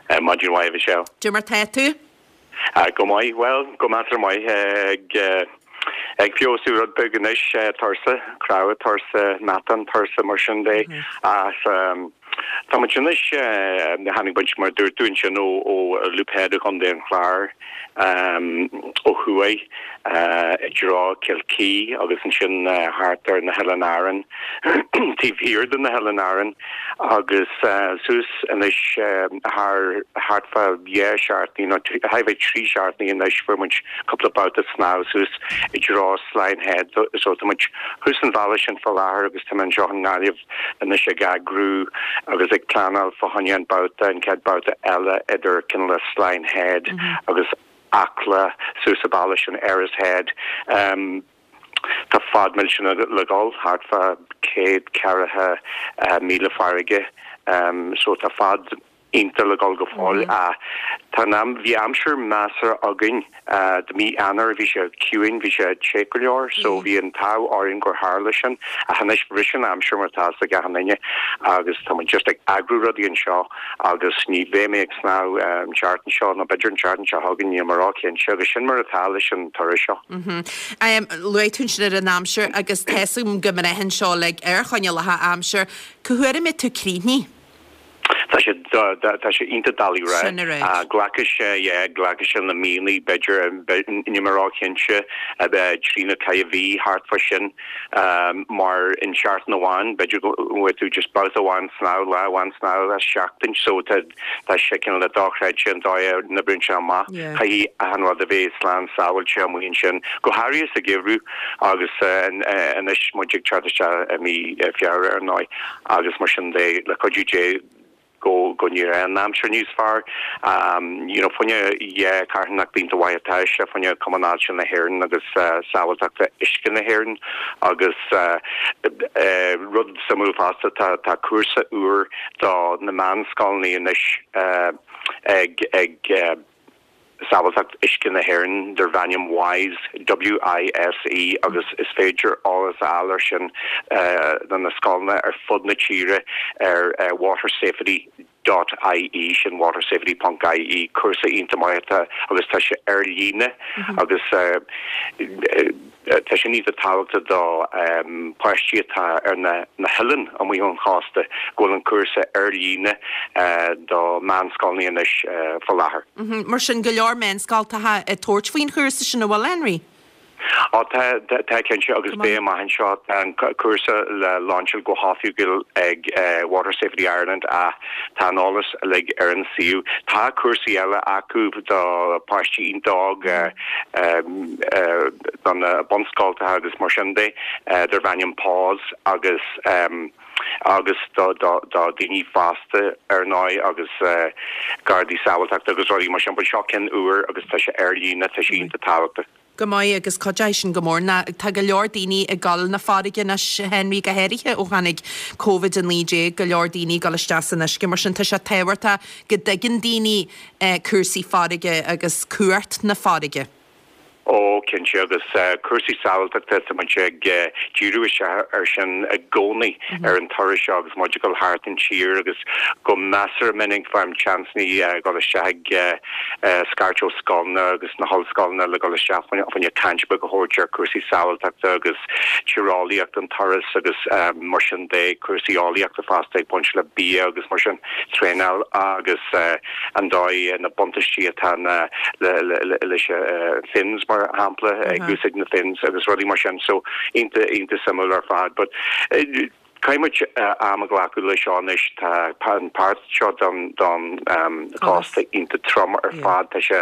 Uh, maidin mhaith Michelle. Cad é mar tá tú? Uh, go maith well go measartha maith ag uh, ag feabhsú rud beag anois uh, tuirse cnámha tuirse meatan tuirse mar sin de mm -hmm. as um, Tá muid anois tháinig muid mar dúirt tú sin ó ó Loop Head Chontae an Chláir um, ó thuaidh uh, i dtreo Kilkee agus ansin uh, thart ar na hOileáin Árann taobh thiar de na hOileáin Árann agus uh, suas anois uh, thar thart fá dhá seachtain nó bheith trí seachtaine anois fuair muid cúpla babhta snámh suas i dtreo Slyne Head so tá muid thuas an bhealach sin fá láthair agus tá anseo i nGaillimh anois ag eagrú agus ag pleanáil fá choinne an babhta an chéad babhta eile idir cineál Slyne Head mm -hmm. agus Acla suas an bealach sin Erris Head. Um, Tá fad millteanach le dul thart fá céad ceathracha uh, míle farraige um, so tá fad iontach le dul go fóill mm -hmm. Tá am bhí aimsir measartha againn uh, de mí Eanáir bhí sé ciúin bhí sé te go leor so mm. bhí an t-ádh orainn gur tharla sin ach anois bhris an aimsir mar tá ag achan duine agus tá just ag eagrú rudaí anseo agus ní bheidh mé ag snámh um, seachtain seo nó b'fhéidir an tseachtain seo chugainn ní mar cinnte agus sin mar atá leis an turas seo. Mm -hmm. um, Luaigh tú sin ar an aimsir agus tuigim go mbraitheann seo le ar choinníollacha aimsire, cá huair a mbeidh tú críochnaithe? Tá sé tá sé iontach doiligh rá glacfaidh sé glacfaidh sé na míonna b'fhéidir ní mar cinnte a bheith trí nó ceithre mhí thart fá sin mar in seachtain amháin b'fhéidir go tú just babhta amháin snámh lá amháin snámh a seachtain so tá sé cineál le dochreidte an dóigh na brún se amach caihí a hanrad a bhéh slán sáhailte amuin sin go háirithe sa gheimhreadh agus anois muid ag teacht i mí Feabhra ar ndóigh agus mar sin de le cuidiú Dé go go ní an aimsir níos fearr um, you know, fá choinne yeah, carthanacht bíonn mhaith sé fá choinne Cumann Ailse na hÉireann agus uh, sábháilteachta uisce na hÉireann agus uh, uh, rud suimiúil fosta tá tá cúrsa úr do na meánscoileanna anois uh, ag ag uh, Sábháilteacht Uisce na hÉireann darb ainm WISE W I S E agus is féidir eolas a fháil ar sin uh, na scoileanna ar fud na tíre ar uh, watersafety dot I E sin watersafety.ie cúrsa iontach maith agus tá sé ar líne mm -hmm. agus uh, tá sé níos tábhachtaí do um, páistí atá ar na, na hoileáin amuigh ón chósta go bhfuil an cúrsa ar líne uh, do meánscoileanna anois uh, fá láthair. Mm -hmm. Mar sin go leor meánscoileanna ag tabhairt faoin chúrsa sin an bhfuil Henry? Á tá tá cinnte agus beidh amach anseo tá an cúrsa le lainseáil go hoifigiúil ag Water Safety Ireland a tá an eolas uilig ar an suíomh. Tá cúrsaí eile acu do páistí iontach óg do na bunscoltacha agus mar sin de darb ainm Pause agus agus do do do daoine fásta ar ndóigh agus gardaí sábháilteachta agus rudaí mar sin, but seo ceann úr agus tá sé ar líne tá sé iontach tábhachtach. Go maith agus cuideoidh sin go mór ná tá go leor daoine ag dul na farraige anois Henry go háirithe ó tháinig Covid a naoi déag go leor daoine ag dul isteach san uisce mar sin tá sé tábhachtach go dtuigeann daoine cúrsaí farraige agus cumhacht na farraige. Ó, cinnte, agus cúrsaí sábháilteachta, tá muid ag díriú isteach air sin i gcónaí ar an turas seo agus muid ag dul thart an tír agus go measartha minic faighim seansanna dul isteach ag scairt ó scoileanna agus na hollscoileanna le dul isteach fá choinne caint beag a thabhairt ar cúrsaí sábháilteachta agus tíreolaíocht an turas agus mar sin de, cúrsaí eolaíochta fosta ag baint le bia agus mar sin, traenáil agus an dóigh na buntáistí atá na leis fins mar shampla ag úsáid na fins agus rudaí mar sin so iontach iontach suimiúil ar fad but caithfidh muid am a ghlacadh leis seo anois tá an páirt seo don don chósta iontach trom ar fad tá sé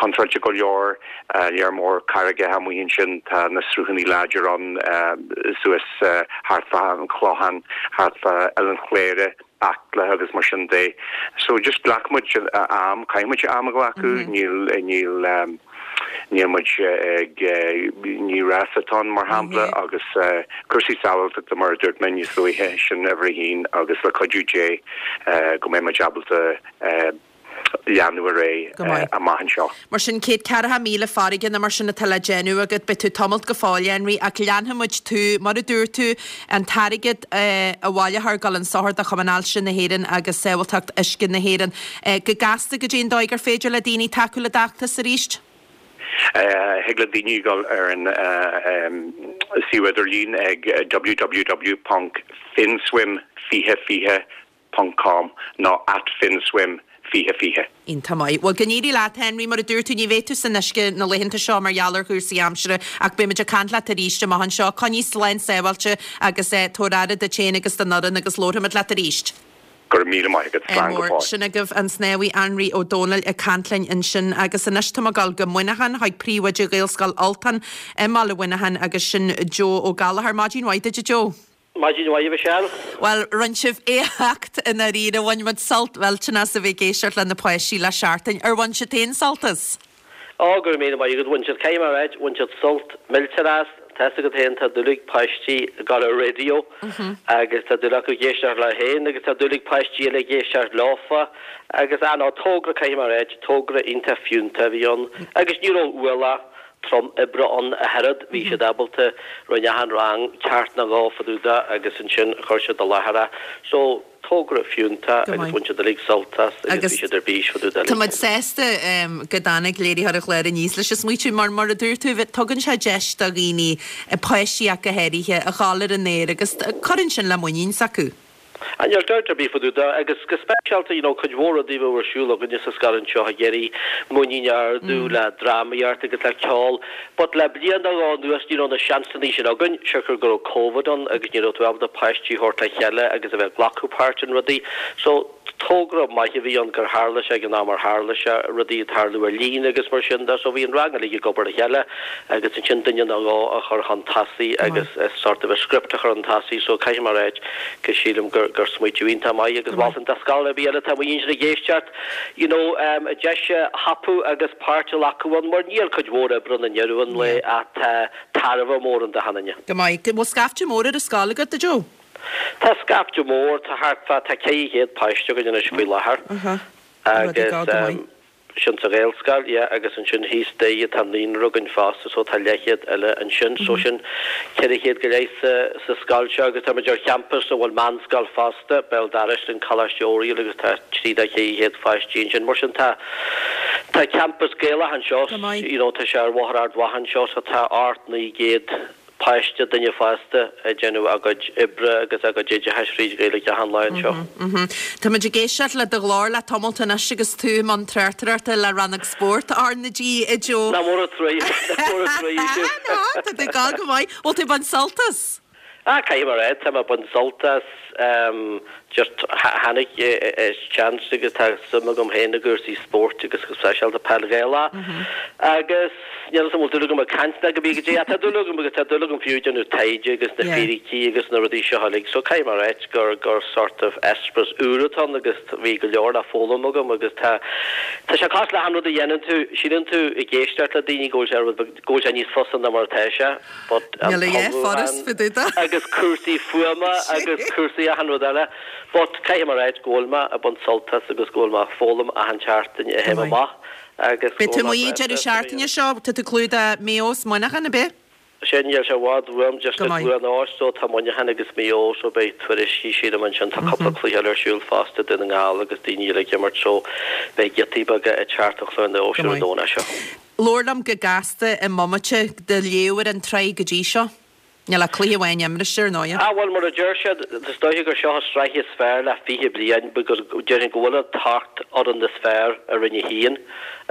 contráilte go leor lear mór carraigeacha amuigh ansin tá na sruthanna láidir ann suas thart fá an Clochán thart fá Oileán Chléire Acla agus mar sin de. So just glac muid am, caithfidh muid am a ghlacadh, níl, níl, níl muid ag, ní rás atá ann mar shampla agus cúrsaí sábháilteachta mar a dúirt mé níos luaithe, sin uimhir a haon agus le cuidiú Dé go mbeidh muid ábalta leanadh ar aghaidh amach anseo. Mar sin, céad ceathracha míle farraige nó mar sin atá le déanamh agat, beidh tú tamalt go fóill, Henry, ach leanfaidh muid tú, mar a dúirt tú, an t-airgead a bhaileofar ag dul chun sochair do Chumann Ailse na hÉireann agus Sábháilteacht Uisce na hÉireann. Go gasta, goidé an dóigh gur féidir le daoine tacú le d'fheachtas arís? Thig le daoine dul ar an suíomh idirlín ag www ponc finswim fiche fiche ponc com nó at finswim fiche fiche. Iontach maith. Bhuel, go n-éirí leat, Henry. Mar a dúirt tú, ní bheidh tú san uisce na laethanta seo mar gheall ar chúrsaí aimsire ach beidh muid ag caint leat arís amach anseo. Coinnigh slán sábháilte agus tabhair aire duit féin agus don fhoireann agus labharfaimid leat arís. Go raibh míle maith agat. Slán go fóill. Sin agaibh an snámhaí Anraí Ó Dónaill ag caint linn ansin agus anois tá mé ag dul go Muineachán chuig príomhoide Ghaelscoil Ultain i mbaile Mhuineacháin agus sin Joe Ó Gallchóir. Maidin mhaith duit a Joe. Maidin mhaith a Mhichelle. Bhuel, rinne sibh éacht i ndáiríre. Bhain muid sult mhillteanach as a bheith ag éisteacht le na páistí le seachtain. Ar bhain siad féin sult as? Ó, go raibh míle maith agat. Bhain siad, caithfidh mé a ráit, bhain siad sult millteanach as. Tá fhios agat féin, tá dúil ag páistí ag dul ar raidió agus tá dúil acu ag éisteacht leo féin agus tá dúil ag páistí eile ag éisteacht leofa agus, ah no, togra, caithfidh mé a ráit, togra iontach fiúntach a bhí ann agus ní raibh ualach trom oibre ann ach oiread, bhí siad ábalta, rinne achan rang ceacht nó dhó fá dtaobh de agus ansin chuir siad i láthair é. So, togra fiúntach agus bhain siad uilig sult as agus bhí siad ar bís fá dtaobh de. Tá muid sásta go dtáinig léiritheoir an chláir aníos leis an smaoitiú mar, mar a dúirt tú, tugann sé deis do dhaoine, páistí ach go háirithe, a dhul ar an aer agus cuireann sin le muinín s'acu. Ah níl dabht ar bith fá dtaobh de, agus go speisialta, you know, cuid mhór rudaí a bheadh ar siúl againne sa scoil anseo ag iarraidh muinín a ardú le drámaíocht agus le ceol, but le bliain nó dhó anuas ní raibh na seansannaí sin againn, siocair go raibh Covid ann agus ní raibh tú ábalta páistí a thabhairt le chéile agus a bheith ag glacadh páirt in rudaí. So, togra maith a bhí ann gur tharla sé ag an am ar tharla sé, rudaí ag tarlú ar líne agus mar sin de. So bhí an rang uilig ag obair le chéile agus ansin duine nó dhó a chur chun tosaigh agus sort of a script a chur chun tosaigh. So caithfidh mé a ráit go sílim gur gur smaoitiú iontach maith agus mholfainn do scoil ar bith eile atá amuigh ansin ag éisteacht you know um deis a thapú agus páirt a ghlacadh ann mar níl cuid mhór oibre ann i ndeireadh an lae ach tá tairbhe mór ann d'achan duine. Go maith. Bhfuil scaifte mór ar an scoil agat, a Joe? Tá scaifte mór, tá thart fá, tá ceithre chéad páiste againn anois faoi láthair agus sin sa Ghaelscoil, yeah, agus ansin thíos staighre tá naíonra againn fosta so tá leathchéad eile ansin, so sin ceithre chéad go leith sa, sa scoil seo agus tá muid ar champas a bhfuil meánscoil fosta, béal dorais linn, Coláiste Oiriall agus tá trí nó ceithre chéad pháistí ansin, mar sin tá, tá campas Gaelach anseo, you know, tá sé ar Bhóthar Ard Mhacha anseo so tá ocht naoi gcéad. páiste, duine fásta ag déanamh a gcuid oibre agus a gcuid oideachais fríd Ghaeilge achan lá anseo. Tá muid ag éisteacht le do ghlór le tamalt anois agus tú i mbun tráchtaireachta le Rannóg Spóirt R na G, a Joe. Nach mór an trua, nach mór an trua sibh. Tá tú ag gabháil go maith. Bhfuil tú ag baint sult as? Ah, caithfidh mé a rá, tá mé ag baint sult as, just tháinig chance agus tá suim agam féin i gcúrsaí spóirt agus go speisialta peil Ghaelach agus níl 'fhios a'm an bhfuil dúil agam ag caint ná go bí go dtí ach tá dúil agam agus tá dúil agam fiú ag déanamh taighde agus na fíricí agus na rudaí seo uilig so caithfidh mé a ráit gur gur sort of eispéireas úr atá ann agus bhí go leor le foghlaim agam agus tá tá sé cosúil le achan rud a dhéanann tú síleann tú ag éisteacht le daoine go bhfuil sé rud beag go bhfuil sé níos fusa ná mar atá sé but an Níl a dhath furast fá dtaobh de. agus cúrsaí fuaime agus cúrsaí achan rud eile. But caithfidh mé a ráit go bhfuil mé ag baint sult as agus go bhfuil mé ag foghlaim achan tseachtain a théim amach agus Beidh go tú bhfuil mé amuigh breá deireadh sásta seachtaine seo, tá tú ag clúdach Maigh Eo 's Muineachán, ab ea? Sin, níl sé i bhfad uaim, just Go i maith. gCluain Eois so tá Muineachán agus Maigh Eo so beidh tuairiscí sílim ansin, tá cúpla cluiche eile ar siúl fosta, Dún na nGall agus daoine eile ag imirt so beidh giotaí beaga ag teacht ó Chluain Eois Go ar an maith. Domhnach seo. Labhair liom go gasta i mbomaite do léamh ar an tsraith go dtí seo. Níl ach cluiche amháin imrithe ar ndóighe. Ah bhuel, mar a deir siad, is dóiche gur seo an sraith is fearr le fiche bliain because déarfainn go bhfuil an t-ocht fhoireann is fearr i Roinn a hAon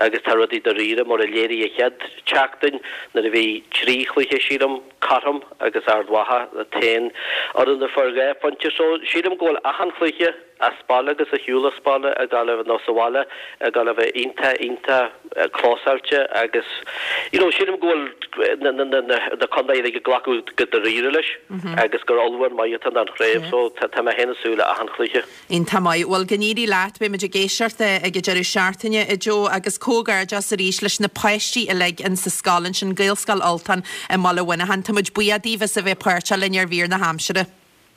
agus tá rudaí dáiríre mar a léirigh an chéad tseachtain nuair a bhí trí chluiche sílim cothrom agus Ard Mhacha an t-aon fhoireann a fuair dhá phointe so sílim go bhfuil achan chluiche as baile agus ar shiúl as baile ag gabháil a bheith nó sa bhaile ag gabháil a bheith iontach iontach clósáilte agus you know sílim go bhfuil na na na na contaetha uilig ag glacadh go dáiríre leis agus gur ullmhúchán maith atá ann don chraobh so tá tá mé féin ag súil le achan chluiche. Iontach maith. Bhuel go n-éirí leat, beidh muid ag éisteacht ag an deireadh seachtaine a Joe agus comhghairdeas arís leis na páistí uilig in sa scoil ansin, Gaelscoil Ultán i mBaile Mhuineacháin. Tá muid buíoch daoibh as a bheith páirteach linn ar mhír na haimsire.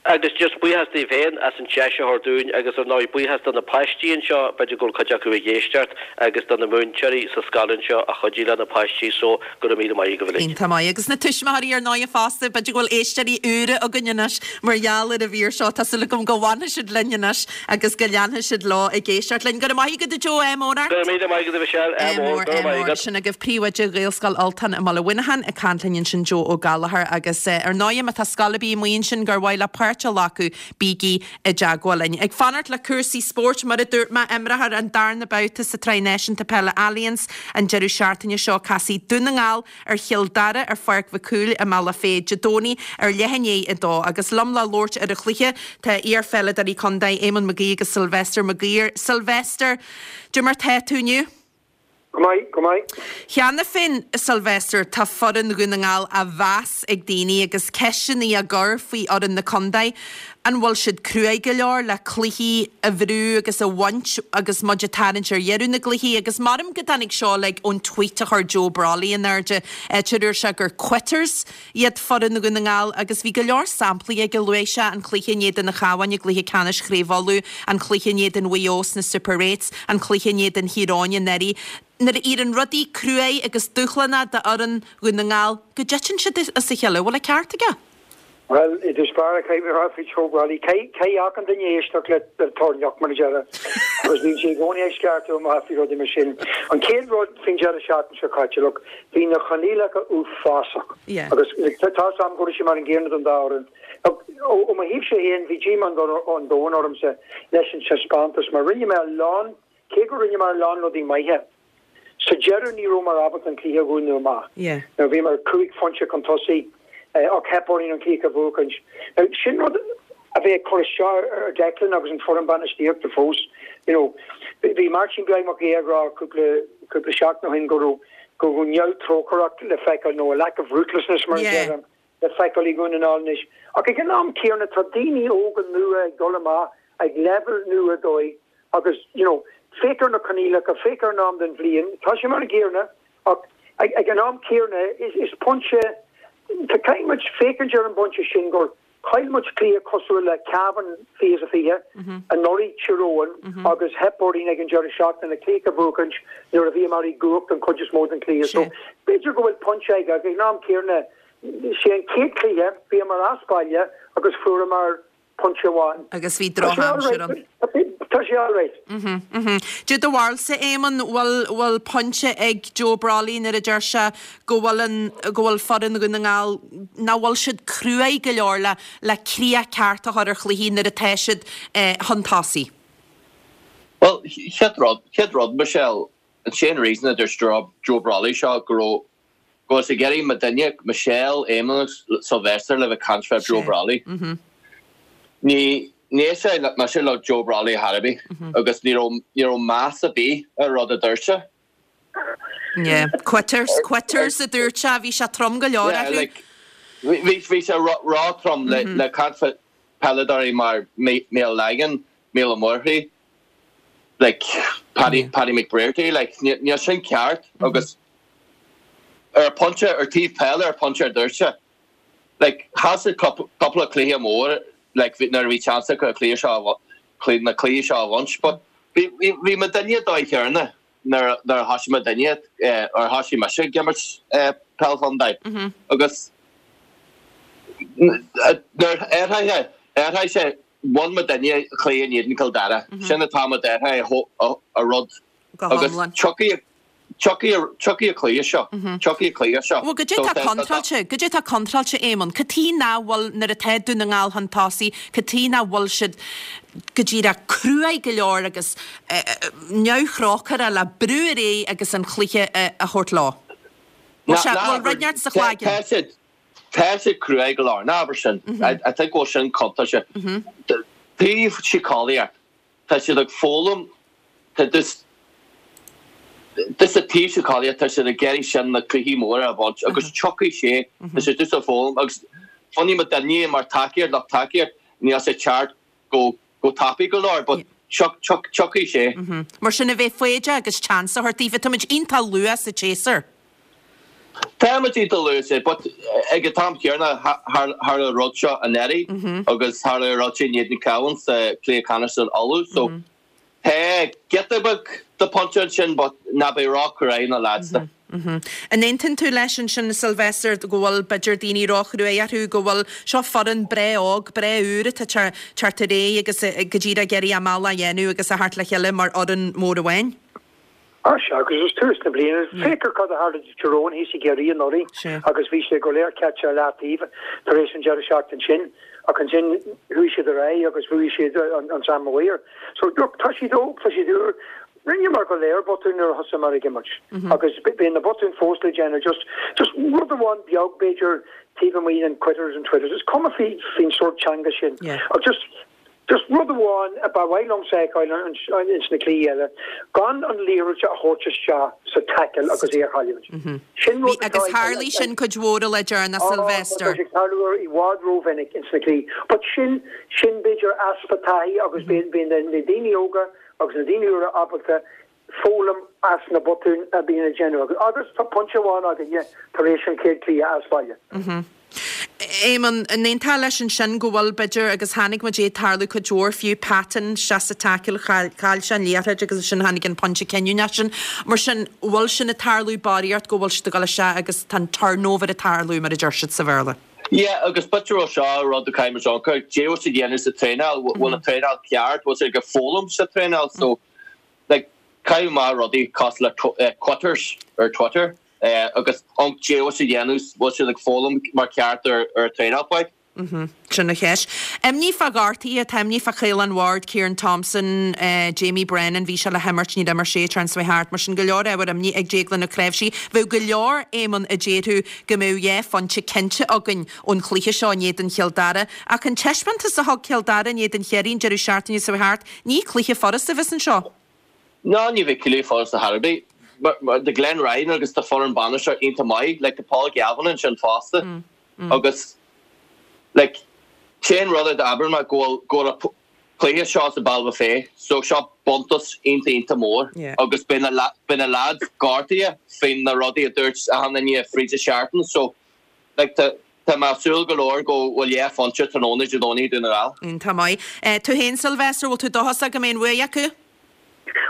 Agus just buíochas daoibh féin as an deis a thabhairt dúinn agus ar ndóigh buíochas do na páistí anseo, b'fhéidir go bhfuil cuid acu ag éisteacht, agus do na múinteoirí sa scoil anseo a chuidigh le na páistí so go raibh míle maith agaibh uilig. Iontach maith. Agus na tuismitheoirí ar ndóigh fosta, b'fhéidir go bhfuil éisteoirí úra againn anois mar gheall ar an mhír seo, tá súil agam go bhfanfaidh siad linn anois agus go leanfaidh siad leo ag éisteacht linn. Go raibh maith agat a Joe, ádh mór ort. Go raibh míle maith agat a Mhichelle, ádh mór, go raibh maith agat. Sin agaibh Príomhoide Ghaelscoil Ultán i mBaile Mhuineacháin ag caint linn ansin Joe Ó Gallchóir agus ar ndóigh má tá scoil ar bith amuigh ansin gur mhaith leo páirt a ghlacadh, bígí i dteagmháil linn. Ag fanacht le cúrsaí spóirt, mar a dúirt mé, imreofar an darna babhta sa tSraith Náisiúnta Peile Allianz an deireadh seachtaine seo. Casfaidh Dún na nGall ar Chill Dara ar Pháirc Mhic Cumhaill i mBealach Féich Dé Domhnaigh ar leath i ndiaidh a dó. Agus liom le labhairt ar an chluiche tá iar-pheileadóirí contae Éamonn Mag Aoidh agus Sylvester Maguire. Sylvester, cad é mar tá tú inniu? Go maith, go maith. Cheana féin, Sylvester, tá foireann Dhún na nGall á mheas ag daoine agus ceisteanna á gcur faoi fhoireann na contae. An bhfuil siad cruaidh go leor le cluichí a bhrú agus a bhaint agus muid ag tarraingt ar dheireadh na gcluichí? Agus maram go dtáinig seo like ón tweet a chuir Joe Brolly in airde, áit a dúirt sé gur quitters iad foireann Dhún na nGall agus bhí go leor samplaí aige, luaigh sé an cluiche in éadan an Chabháin i gcluiche ceannais Chraobh Uladh, an cluiche in éadan Mhaigh Eo sna Super Eights, an cluiche in éadan Thír Eoghain anuraidh. Nuair a éiríonn rudaí cruaidh agus dúshlánach d'fhoireann Dhún na nGall, go dtiteann siad as a chéile. Bhfuil an ceart aige? Bhuel, i dtús báire, caithfidh mé a rá faoi Joe Brolly, caithfidh achan duine éisteacht le toirneach, mar a déarfá, agus bíonn sé i gcónaí ag sceartú amach faoi rudaí mar sin. An chéad rud faoin deireadh seachtaine seo caite, look, bhí na coinníollacha uafásach. Agus tá 'fhios a'm go raibh sé mar an gcéanna don dá fhoireann. Look, ó mo thaobhse féin, bhí díomá an domhain ormsa leis an taispeántas mar rinne mé a lán, cé go rinne mé a lán rudaí maithe, Sa deireadh ní rabhamar ábalta an cluiche a dhúnadh amach. Now bhíomar cúig phointe chun tosaigh ach theip orainn an cluiche a bhuachaint. Now sin rud a bheidh ag cur isteach ar Declan agus an foireann bainistíochta fós. You know, bhí Máirtín Beag Mac Aodha ag rá cúpla cúpla seachtain ó shin go raibh go raibh neamhthrócaireacht le feiceáil nó a lack of ruthlessness mar a déarfá le feiceáil i nDún na nGall anois. Ach ag an am céanna tá daoine óga nua ag dul amach ag leibhéal nua dóibh Agus, you know, féach ar na coinníollacha, féach ar an am den bhliain, tá sé mar an gcéanna ach ag an am céanna is, is pointe, caithfidh muid féachaint ar an bpointe sin gur chaill muid cluiche cosúil le Cavan fiche is a fiche, anuraidh Tír Eoghain agus theip orainn ag an deireadh seachtaine cluiche a bhuachaint nuair a bhíomar i gcumhacht an chuid is mó den chluiche. So b'fhéidir go bhfuil pointe aige ach ag an am céanna, sé an chéad chluiche, bhíomar as baile agus fuaireamar pointe amháin. Agus bhí drochaimsir ann. Tá tá sé alright. Cad é do bharúilsa, Éamonn, bhfuil bhfuil pointe ag Joe Brolly nuair a deir sé go bhfuil an go bhfuil foireann Dhún na nGall nach bhfuil siad cruaidh go leor le le críoch ceart a chur ar chluichí nuair atá siad chun tosaigh? Well, chéad rud, chéad rud, Michelle, an sé'n reason a dúirt Joe Joe Brolly seo go raibh go raibh sé ag iarraidh muidinne, Michelle, Éamonn agus Sylvester le bheith ag caint fá Joe Brolly. Ní ní sé mise le Joe Brolly ar chor ar bith agus ní raibh ní raibh meas ar bith ar rud a dúirt sé. Yeah, quitters, quitters a dúirt sé, bhí sé trom go leor Yeah, orthu. like, bhí bhí bhí sé ró ró-trom le le caint fá peileadóirí mar Mícheál Langan, Mícheál Ó Murchú, like Paddy Paddy McBrearty, like níl níl sin ceart agus ar pointe ar taobh peile ar pointe ar dúirt sé. Like chaill siad cúpla cluiche mór like nuair a bhí chance acu cluiche seo cluiche na cluichí seo a bhaint but bhí bhí bhí muidinne dóigh chéanna nuair nuair a thosaigh muidinne ar thosaigh mise ag imirt peil chontae agus nuair athraithe athraigh sé bhain muidinne cluiche in éadan Cill Dara sin atá muid athraithe a rud agus tiocfaidh tiocfaidh tiocfaidh an cluiche seo tiocfaidh an cluiche seo. Bhuel, goidé tá contráilte, goidé tá contráilte, Éamonn, cad chuige nach bhfuil nuair atá Dún na nGall chun tosaigh, cad chuige nach bhfuil siad go díreach cruaidh go leor agus neamhthrócaireach le brú ar aghaidh agus an chluiche a thabhairt leo? Bhfuil sé, bhfuil rud inteacht sa chloigeann? Tá siad, tá siad cruaidh go leor, ná abair sin. I think go bhfuil sin contráilte. Taobh síceolaíocht, tá siad ag foghlaim, tá just, just an taobh síceolaíocht, tá siad ag iarraidh sin na cluichí móra a bhaint agus tiocfaidh sé, tá siad just ag foghlaim agus fanfaidh muidinne mar tacaíocht, lucht tacaíocht, níl sé ceart go go tapaidh go leor but tiocfaidh sé. Mar sin a bheith foighdeach agus chance a thabhairt daofa, táimid iontach luath sa tséasúr. Táimid iontach luath sa, but ag an t-am céanna tharla an rud seo anuraidh agus tharla an rud sin in éadan Cabhán sa cluiche ceannais in Uladh so tá giota beag de pointe ansin but ná beidh ró-chruaidh na lads. An aontaíonn tú leis ansin, Sylvester, go bhfuil b'fhéidir daoine róchruaidh orthu, go bhfuil seo foireann breá óg, breá úr atá teacht ar aghaidh agus go díreach ag iarraidh a mbealach a dhéanamh agus a theacht le chéile mar fhoireann mór amháin? Á sea, agus is tús na bliana. Féach ar cad a tharla do Tyrone thíos i gCiarraí anuraidh agus bhí sé go léir caite ar leataobh tar éis an deireadh seachtain sin ach ansin chuaigh siad ar aghaidh agus bhuaigh siad an Sam Maguire. So look, tá siad óg, tá siad úr. Rinneamar go léir botúin nuair a thosaíomar ag imirt agus bíonn na botúin fós le déanamh. Just, just rud amháin beag b'fhéidir taobh amuigh den quitters and twitters. Is cuma faoi, faoin sórt teanga sin. Ach just, just rud amháin a ba mhaith liomsa a fheiceáil ins na cluichí eile, gan an liathróid a thabhairt isteach sa tackle agus í a chailliúint. Sin rud atá Agus tharlaigh sin cuid mhór le deireanas, Sylvester. Tá sé ag tarlú i bhfad rómhinic ins na cluichí. But sin, sin b'fhéidir easpa taithí agus bíonn, bíonn na daoine óga, agus na daoine úra ábalta foghlaim as na botúin a bhíonn á déanamh againn. Agus tá pointe amháin againne tar éis an chéad chluiche as baile. Éamonn, an aontófá leis ansin go bhfuil, b'fhéidir, agus chonaic muid é ag tarlú cuid mhór, fiú Patton isteach sa tackle, chaill sé an liathróid agus ansin tháinig an pointe cinniúnach sin. Mar sin, bhfuil sin ag tarlú barraíocht go bhfuil siad ag dul isteach agus tá an turnover ag tarlú mar a deir siad sa Bhéarla? Yeah, agus b'fhéidir bhfuil seo rud a chaithfidh muid amharc air, cad é bhfuil siad ag déanamh sa traenáil, bhfuil an traenáil ceart, bhfuil siad ag foghlaim sa traenáil, so like caithfidh maith rudaí cosúil le quitters ar Twitter agus an cad é bhfuil siad ag déanamh, bhfuil siad ag foghlaim mar ceart ar ar traenáil like. Sin an cheist. Imní fá ghortuithe, tá imní fá Caolan Ward, Ciarán Thompson, Jamie Brennan, bhí sé le himirt, níor imir sé an tseachtain seo thart, mar sin go leor ábhar imní ag Déaglán Ó Cnáimhsí. Bheadh go leor, Éamonn, a déarfadh go mbeadh dhá phointe cinnte againn ón chluiche seo in éadan Chill Dara. Ach an taispeántas a thug Cill Dara in éadan Chiarraí an deireadh seachtaine seo thart, ní cluiche furasta a bheas anseo. Ná ní bheidh cluiche furasta ar bith. Tá Glenn Ryan agus tá foireann bainisteoir iontach maith, like tá Paul Galvin ansin fosta agus like sé'n rud a d'abair mé go bhfuil go bhfuil an cluiche seo sa Baile Buffet so seo buntáiste iontach iontach mór agus beidh na beidh na lads gortaithe faoin na rudaí a dúirt achan duine fríd an seachtain so like tá tá mé ag súil go leor go bhfuil dhá phointe tráthnóna Dé Domhnaigh i Dún na nGall. Iontach maith. Tú féin Sylvester, bhfuil tú dóchasach go mbeidh an bhuaidh acu?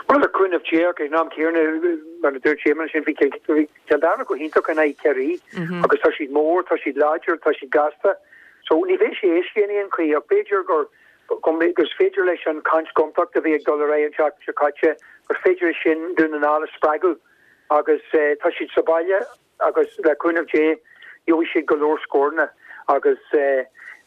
Bhuel, le cúnamh Dé, ach ag an am céanna, mar a dúirt Éamonn ansin, bhí Cill Dara go hiontach in aghaidh Chiarraí agus tá siad mór, tá siad láidir, tá siad gasta. So ní bheidh sé éasca in aon chaoi ach b'fhéidir gur gur féidir leis an caint gontacht a bhí ag dul ar aghaidh an tseachtain seo caite, gur féidir sin Dún na nGall a spreagadh agus tá siad sa bhaile agus le cúnamh Dé gheobhaidh siad go leor scóranna agus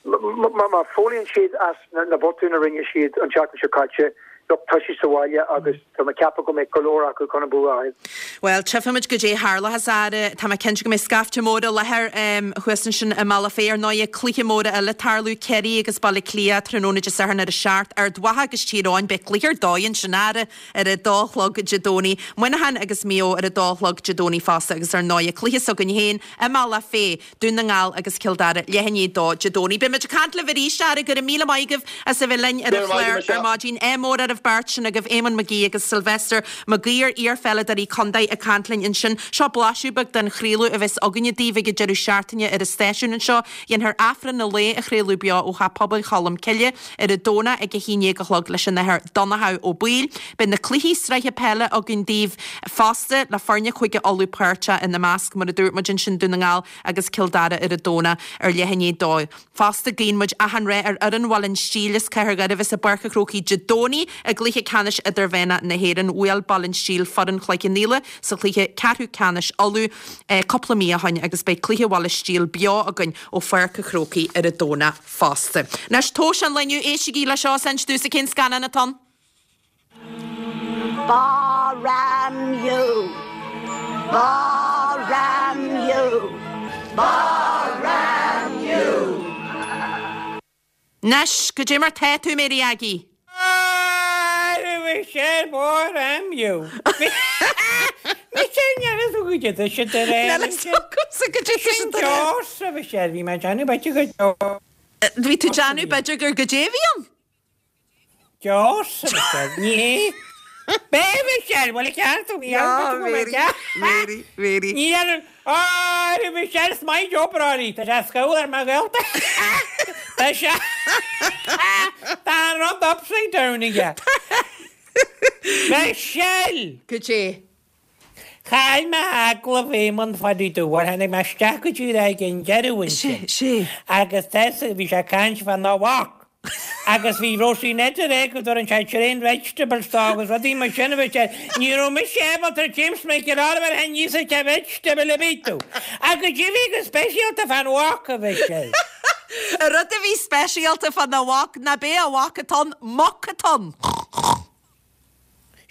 má foghlaíonn siad as na botúin a rinne siad an tseachtain seo caite, look, tá siad sa bhaile agus tá mé ag ceapadh go mbeidh go leor acu chun an bua a fháil. Bhuel, tchífimid goidé tharlóchas, a Fheara. Tá mé cinnte go mbeidh scaifte mór i láthair thuas ansin i mBealach Féich. Ar ndóighe, cluiche móra eile ag tarlú, Ciarraí agus Baile Átha Cliath, tráthnóna Dé Sathairn ar a seacht. Ard Mhacha agus Tír Eoghain, beidh cluiche ar dóigh ansin, a Fheara, ar a dó a chlog Dé Domhnaigh. Muineachán agus Maigh Eo ar a dó a chlog Dé Domhnaigh fosta agus ar ndóighe, cluiche s'againn féin i mBealach Féich, Dún na nGall agus Cill Dara, leath i ndiaidh a dó Dé Domhnaigh. Beidh muid ag caint libh arís, a Fheara, go raibh míle maith agaibh as a bheith linn ar an chlár ar maidin. Ádh mór ar an bheirt sin agaibh, Éamonn McGee agus Sylvester Mag Uidhir, iar-pheileadóirí contae ag caint linn ansin. Seo blaiseadh beag den chraoladh a bheas againne daoibh ag an deireadh seachtaine ar an stáisiún anseo. Dhéanfar Aifreann an lae a chraoladh beo ó Theach Pobail Cholm Cille ar an Domhnach ag a haon déag a chlog leis an Athair Donnchadh Ó Baoill. Beidh na cluichí sraithe peile againn daoibh fosta, le foirne Chúige Uladh páirteach ina measc, mar a dúirt muid ansin, Dún na nGall agus Cill Dara ar an Domhnach ar leath i ndiaidh a dó. Fosta, guíonn muid achan rath ar fhoireann Bhaile an Stíl as Cathair Dhoire a bheas i bPáirc an Chrócaigh Dé Domhnaigh i gcluiche ceannais idirmheánach na hÉireann. Bhuail Baile an Stíl foireann Chloich Cheann Fhaola sa chluiche ceathrú ceannais Uladh cúpla mí ó shoin agus beidh cluiche Bhaile Stíl beo againn ó Pháirc an Chrócaigh ar an Domhnach fosta. Anois, tomhais an lae inniu, éistigí le seo is inis domhsa cén scannán atá ann. Ba-ram you! Ba-ram you! Ba-ram you! Anois, goidé mar tá tú, Mary Aggie? Michelle, ba-ram you! Michelle, níl a fhios agam goidé tá siad a rá. Níl a fhios agamsa goidé tá siad a rá. Sin Jaws, Michelle, bhí mé ag déanamh b'fhéidir gur Bhí tú ag déanamh b'fhéidir gur goidé a bhí ann? Jaws, Michelle, ní hé. B'é Michelle, bhfuil a ceart tú, ní Mary, Mary. Ní dhéanann, Á, Michelle, is maith Joe Brady, tá sé scamhall ar mo ghaolta. Tá sé, tá an rud upside down aige. Michelle! Goidé? Chaill mé agallamh Éamonn Phadaí Dubh, tháinig mé isteach go dtí ag an deireadh ansin. Sé, sé. Agus tá, bhí sé ag caint fá na mhac. Agus bhí Róisín Ned ag rá go dtabharann sé tréan vegetables dó agus rudaí mar sin a bhí sé. Ní raibh mise ábalta James Michael Oliver a níos a vegetable a bhí tú. Agus goidé bhí go speisialta fán mhac a bhí sé. An rud a bhí speisialta fá na mhac ná b'é a mhac atá ann, muc atá ann.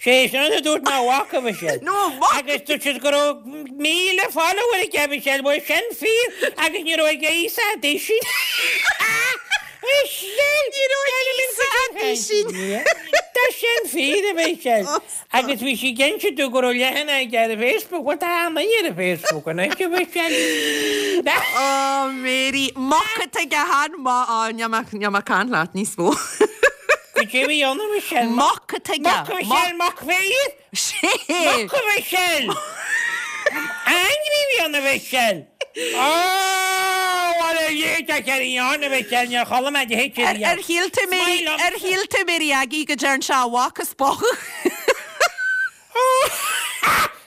Sé sin a dúirt mé a mhac a bhí sé. No, muc! Agus dúirt siad go raibh míle follower aige a bhí sé, bhuel sin fíor agus ní raibh ag a fhios a sin. Ní raibh ag a fhios a sin. Tá sin fíor a bhí sé. Agus bhí sí ag inse domh go raibh leathanach aige ar Facebook, bhuel tá an ar Facebook anois a bhí sé. Oh Mary, muc atá aige han ma á níl mé níl mé ag caint leat níos mó. Goidé bhí ann a Michelle? Muc atá aige. Muc a Michelle, muc fíor? Sé! Muc a Michelle! Ainmhí bhí ann a Michelle! Oh, what a year tá sé ann a Michelle, níor chuala mé de hit Ar ar shíl tú Mary, ar shíl tú Mary Aggie go dtearn sé a mhac a spochadh?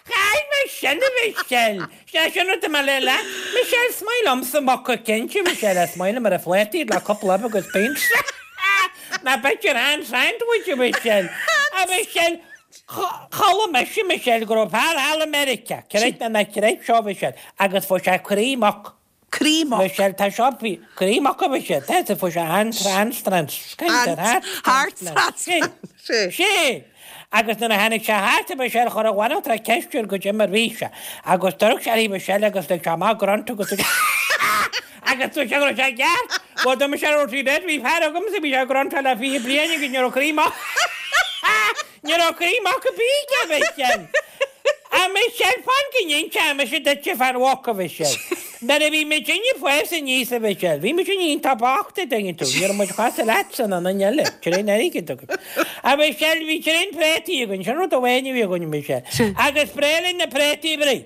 Chaill mé sin a Michelle! Sé sin rud a mé le leat. Michelle, is maith liomsa muca cinnte, Michelle, is maith liom ar a phlátaí le cúpla ubh agus beans. Ná b'fhéidir an sandwich a Michelle. A Michelle, chuala mise Michelle go raibh fear thall i Meiriceá, creid nó ná creid seo Michelle, agus fuair sé croí muc. Croí muc. Michelle, tá seo croí muc a Michelle, tá fuair sé an trans Heart transplant. Sé. Agus nuair a tháinig sé thart a Michelle chuir a bhanaltra ceist air goidé mar bhí sé. Agus d'amharc sé uirthi Michelle agus lig sé amach grunt agus agus dúirt sé go raibh sé ceart. Bhuel dúirt Michelle raibh sí dead bhí fear agamsa bhí sé ag gruntáil le fiche bliain agus ní raibh croí muc ní raibh croí muc ar bith aige a Michelle. A Michelle fan go n-inseoidh mise duitse fán mhuc a Mhichelle. Nuair a bhí muidinne ag fás aníos a Mhichelle, bhí muidinne iontach bocht a dtuigeann tú, ní raibh muid chosúil leatsa ná aon duine eile, tréan airgid againn. A Mhichelle, bhí tréan préataí againn, sin rud amháin a bhí againn a Mhichelle. Agus b'bhreá linn na préataí a bhruith.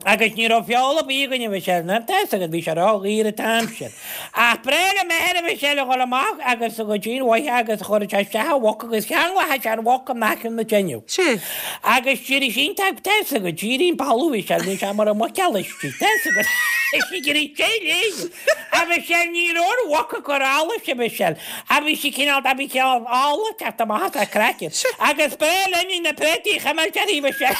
Agus ní raibh feoil ar bith againn a Mhichelle, ná tá fhios agat, bhí sé ródhaor an t-am sin. Ach b'bhreá le m'athair a Mhichelle a dhul amach agus a go dtí an bhoiche agus chuireadh sé isteach an mhuc agus cheanglódh sé an mhuc in aice na teineadh. Sea. Agus d'éirigh sí iontach, tá fhios agat, d'éirigh an balbh a Mhichelle, bhí sé mar an muiceall istigh, tá fhios agat. Is ag iarraidh tae léi. A Mhichelle, ní raibh an mhuc ag cur allais a Mhichelle. A bhí sí cineál, a bhí cineál ola ag teacht amach as a craiceann. Agus b'bhreá linn na préataí a chuimilt uirthi a Mhichelle.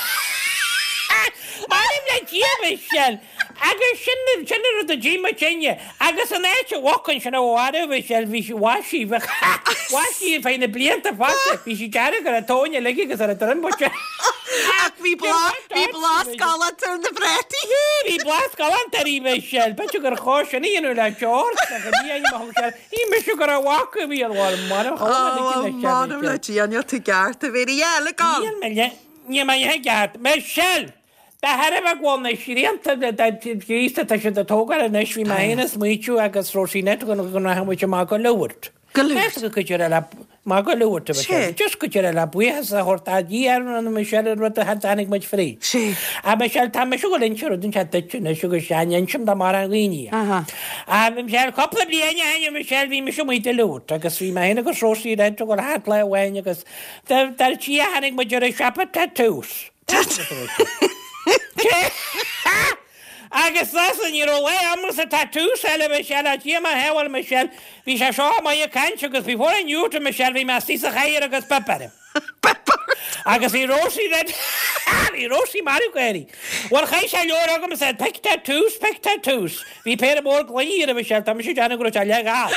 M'anam le Dia a Mhichelle. Agus sin, sin an rud a d'ith muidinne. Agus an áit a mhuc ansin a mharaigh a Mhichelle, bhí sí, mhair sí, bheadh, mhair sí ar feadh na blianta fada. Bhí sí dearg ar a tóin uilig agus ar a droim buite. Ach bhí blas, bhí blas galánta ar na préataí. Bhí blas galánta uirthi a Mhichelle. B'fhéidir gur chóir sin a dhéanamh le George, ach ní ainm a thug sé air. Ní mise go raibh mhac a bhí ar bharr marbh chomh maith Ó, le m'anam le Dia, níl tú ceart, a Mhéirí. Yeah, look on. Níl mé le, níl mé le ceart. Michelle! De thairbhe go bhfuil na srianta gríosta tá siad ag tógáil anois, bhí mé féin ag smaoitiú agus Róisín go rachadh muid amach go Lourdes. Go Lourdes? Go dtí le amach go Lourdes, a Michelle. Just go dtí le buíochas a thabhairt do Dhia ar an Michelle an rud a tháinig muid fríd. A Michelle, tá mise ag dul inse rud inteacht duit anois agus sea, ní insim do mórán dhaoine é. A Michelle, cúpla bliain ó shin, a Michelle, bhí mise amuigh do Lourdes agus bhí mé féin agus Róisín ag dul thart lá amháin agus dar Dia tháinig muid ar an siopa tattoos. Agus listen, ní raibh lá agamsa tattoos eile Michelle, a Dhia mo shábháil Michelle, bhí sé seo amuigh ag caint agus before I knew it Michelle bhí mé istigh sa chathaoir agus bip orm. Agus bhí Rosie red bhí Rosie marbh gáirí. Bhuel chaith sé leabhar agam and said pick tattoos, pick tattoos. Bhí péire mór gloiní air a Michelle, tá mise ag déanamh go raibh sé leath-ghal.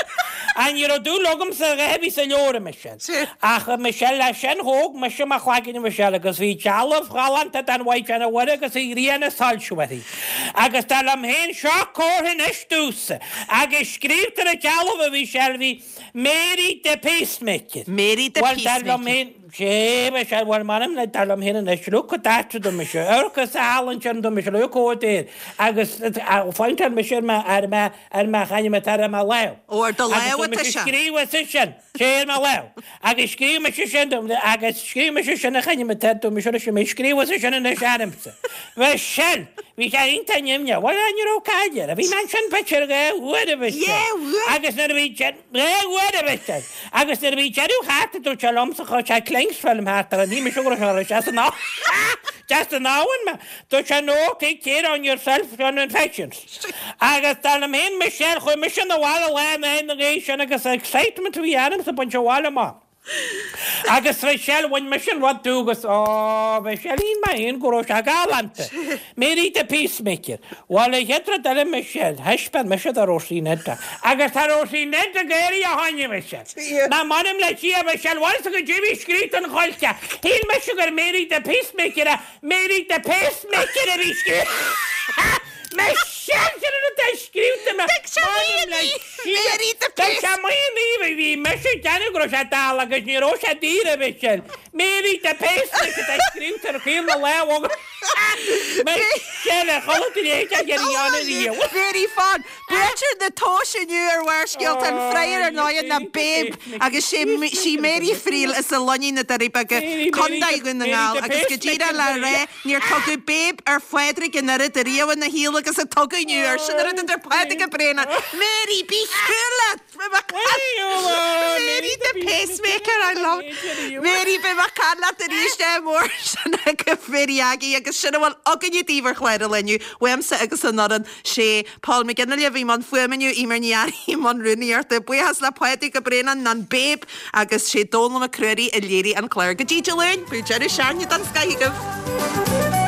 Ach ní raibh dúil agamsa a dhath a bhí sa leabhar a Michelle. Ach a Michelle leis sin thóg mise mo chlaigeann a Michelle agus bhí dealbh ghalánta den Mhaighdean Mhuire agus an ghrian ag soilsiú uirthi. Agus dar liom féin seo comhartha anois domhsa. Agus scríobhta ar an dealbh a Mhichelle bhí Mary the Peacemaker. Mary the Bhuel dar liom Peacemaker. féin Sé Michelle bhuel m'anam le dar liom féin anois look at that do mise. Amharc is álainn sin do mise look over there. Agus phointeáil mise ar mo ar mo ar mo chainm atá ar mo lámh. Ó ar do Agus lámh tá atá mise sé. scríobh sa sin. Sé ar mo lámh. Agus scríobh mise sin dom agus scríobh mise sin a chainm atá do mise leis mé scríobh sa sin anois agamsa. Michelle bhí sé iontach nimhneach. Bhuel ní raibh caill air. Bhí mé ansin b'fhéidir dhá uair a Mhichelle. Dhá uair? Agus nuair a bhí dhá uair a Mhichelle. Agus nuair a bhí deireadh thart dúirt sé liomsa chuir sé cling film thart ar an ní mise go raibh sé san Just an abhainn me. Dúirt sé no, take care on yourself on infections. Agus dar liom féin Michelle chuaigh mise na bhaile lá na na gé sin agus excitement a bhí ormsa baint abhaile amach. Agus Michelle bhain mise an rud dú agus ó Michelle shíl mé féin go raibh sé galánta. Mary the Peacemaker. Bhuel an chéad rud eile Michelle, thaispeáin mise do Róisín Ned. Agus tá Róisín Ned ag éirí a tháinig Michelle. Ná m'anam le Dia Michelle, bhfuil sa go dtí scríte an choillte. Shíl mise gur Mary the Peacemaker a Mary the Pacemaker a bhí scríte. Michelle sin an rud a scríte me. Mary the Tá sé maoin bhí mise déanamh go raibh sé dall agus ní raibh sé daor a Michelle. Mary the Pacemaker tá scríte ar chaon na lámh Michelle a chola léid a dhéanamh riamh. Very fun. Buaiteoir na tomhais inniu ar Bharrscéalta an Friar ar ndóigh ná Babe agus sé sí Mary Friel as an Luinín na Doirí Beaga Contae Dhún na nGall agus go díreach le rá níor tugadh Babe ar Phádraig an oiread ariamh ina shaol agus a tugadh inniu ar sin an rud idir Pádraig a Bréana. Mary bí leat Mary the pacemaker I love Mary be mar can leat arís é mór sin go Mary Aggie agus sin a bhfuil againne daoibh ar chlár an lae inniu uaimse agus an fhoireann sé Paul McGinley a bhí i mbun fuaime inniu Eimear Ní Fhearraigh i mbun rúnaíochta buíochas le Pádraig Ó Braonáin an Babe agus sé Dónal Mac Ruairí a léirigh an clár go dtí Dé Luain, bíodh deireadh seachtaine den scoth agaibh.